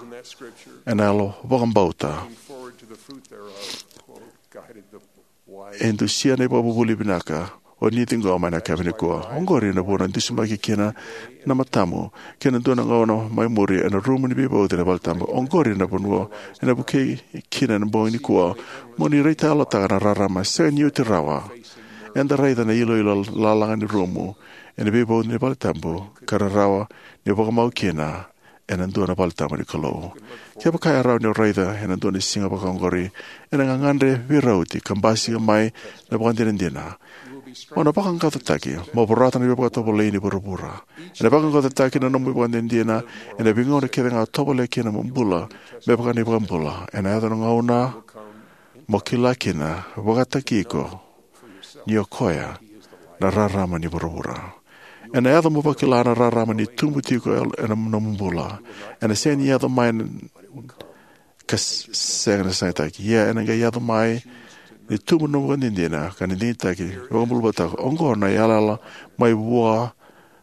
ena yalo vakabauta, e dusia na ivakavuvuli vinaka o ni ciqoma ena yakavi nikua. Oqori na vuna e dusimaki kina na matamu kei na dua na gauna mai muri ena rumu ni veivauci ena valetabu. Oqori na vanua ena vukei kina ena bogi nikua mo ni raitayalotaka na rarama sega ni oti rawa. Eda raica na iloilo lalaga ni rumu ena veivauci ni valetabu ka rarawa ni vakamau kina ena dua na valetabu ni Kalou. Kevaka e rawa ni o raica ena dua na siga vakaoqori, ena gagadre veirauti ka basika mai na vakadinadina, o na vaqaqacotaki mo vorata na veivakatovolei ni vuravura. Ena vaqaqacotaki na nomu ivakadinadina ena veigauna kece ga o tovolea kina mo bula me vaka na iVakabula. Ena yaco na gauna mo kila kina vakataki iko ni o koya na rarama ni vuravura. Ena yaco mo vakila na rarama ni tubu tiko ena nomu bula. Ena sega ni yaco mai ka s-, sega na sagataki. Ia ena qai yaco mai ni tubu na nomu ivakadinadina ka na digitaki, vakabulabulataka. Oqo na yalayala mai vua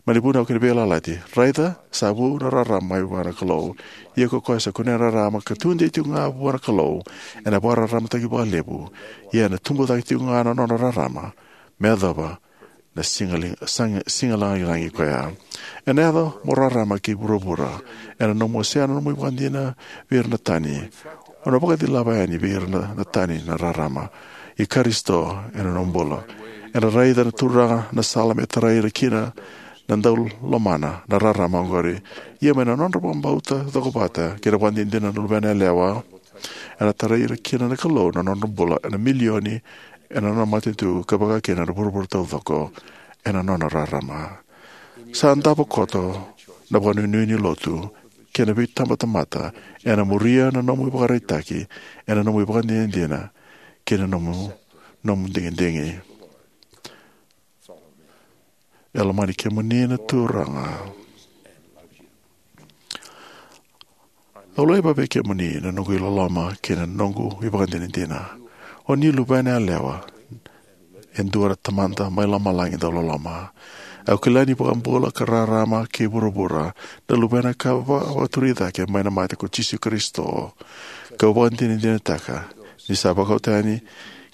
mai na vunau kei na veiyalayalati. Raica, sa vu na rarama mai vua na Kalou. Ia ko koya sa kunea na rarama ka tudei tiko ga vua na Kalou, ena vakararamataki vakalevu. Ia ena tubu cake tiko ga na nona rarama me yacova na siga li-, sag-, siga lagilagi koya. Ena yaco mo rarama ki vuravura ena nomu wasea na nomu ivakadinadina vei ira na tani. O na vakacilava yani vei ira na, na tani na rarama i Karisito ena nomu bula. Ena raica na Turaga na sala me tarai ira kina na dau lomana na rarama oqori. Ia mai na nodra vakabauta cokovata kei na vakadinadina na luvena yalewa, ena tarai ira kina na Kalou na nodra bula ena milioni ena nona matanitu ka vaka kina na vuravura taucoko ena nona rarama. Sa davo koto na vakanuinui ni lotu kei na veitabatamata ena muria na nomu ivakaraitaki ena nomu ivakadinadina kei na nomu, nomu digidigi. E lomani kemuni na Turaga. Au laiva vei kemuni na noqu iloloma kei na noqu ivakadinadina. O ni luvena yalewa e dua na Tamada mai lomalagi dau loloma. Au kila ni vakabula ka rarama kei vuravura na luvena ka va-, vakaturi cake mai na mate ko Jisu Karisito. Kau vakadinadinataka ni sa vakauta yani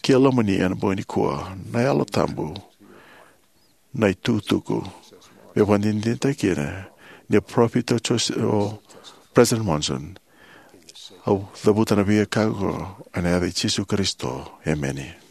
ki lomani ena bogi nikua na Yalo Tabu, na itukutuku. Me vakadinadinataki kina ni parofita o Jose-, o President Monson. Au cavuta na veika oqo ena yaca i Jisu Karisito. Emeni.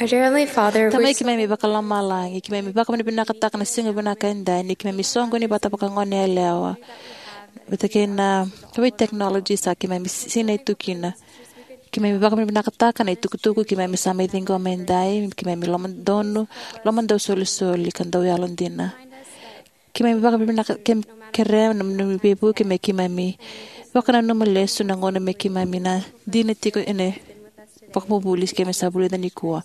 Our dear Heavenly Father, tamai keimami vakalomalagi, keimami vakavinavinakataka na siga vinaka edai ni keimami soqoni vata vakagoneyalewa vata kei na vei technology sa keimami sinai tu kina. Keimami vakavinavinakataka na itukutuku keimami sa mai ciqoma edai, keimami lomadonu, lomadau solisoli ka dau yalodina. Keimami vakavinavinaka, keimami kerea na nomuni veivuke me keimami vakananuma lesu na gauna me keimami na dina tiko ena vakavuvuli keimami sa vulica nikua.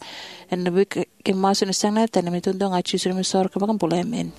Ena vei keimami masu ena sega na tani me tudu ga Jisu na me soro ka vakabula, emeni.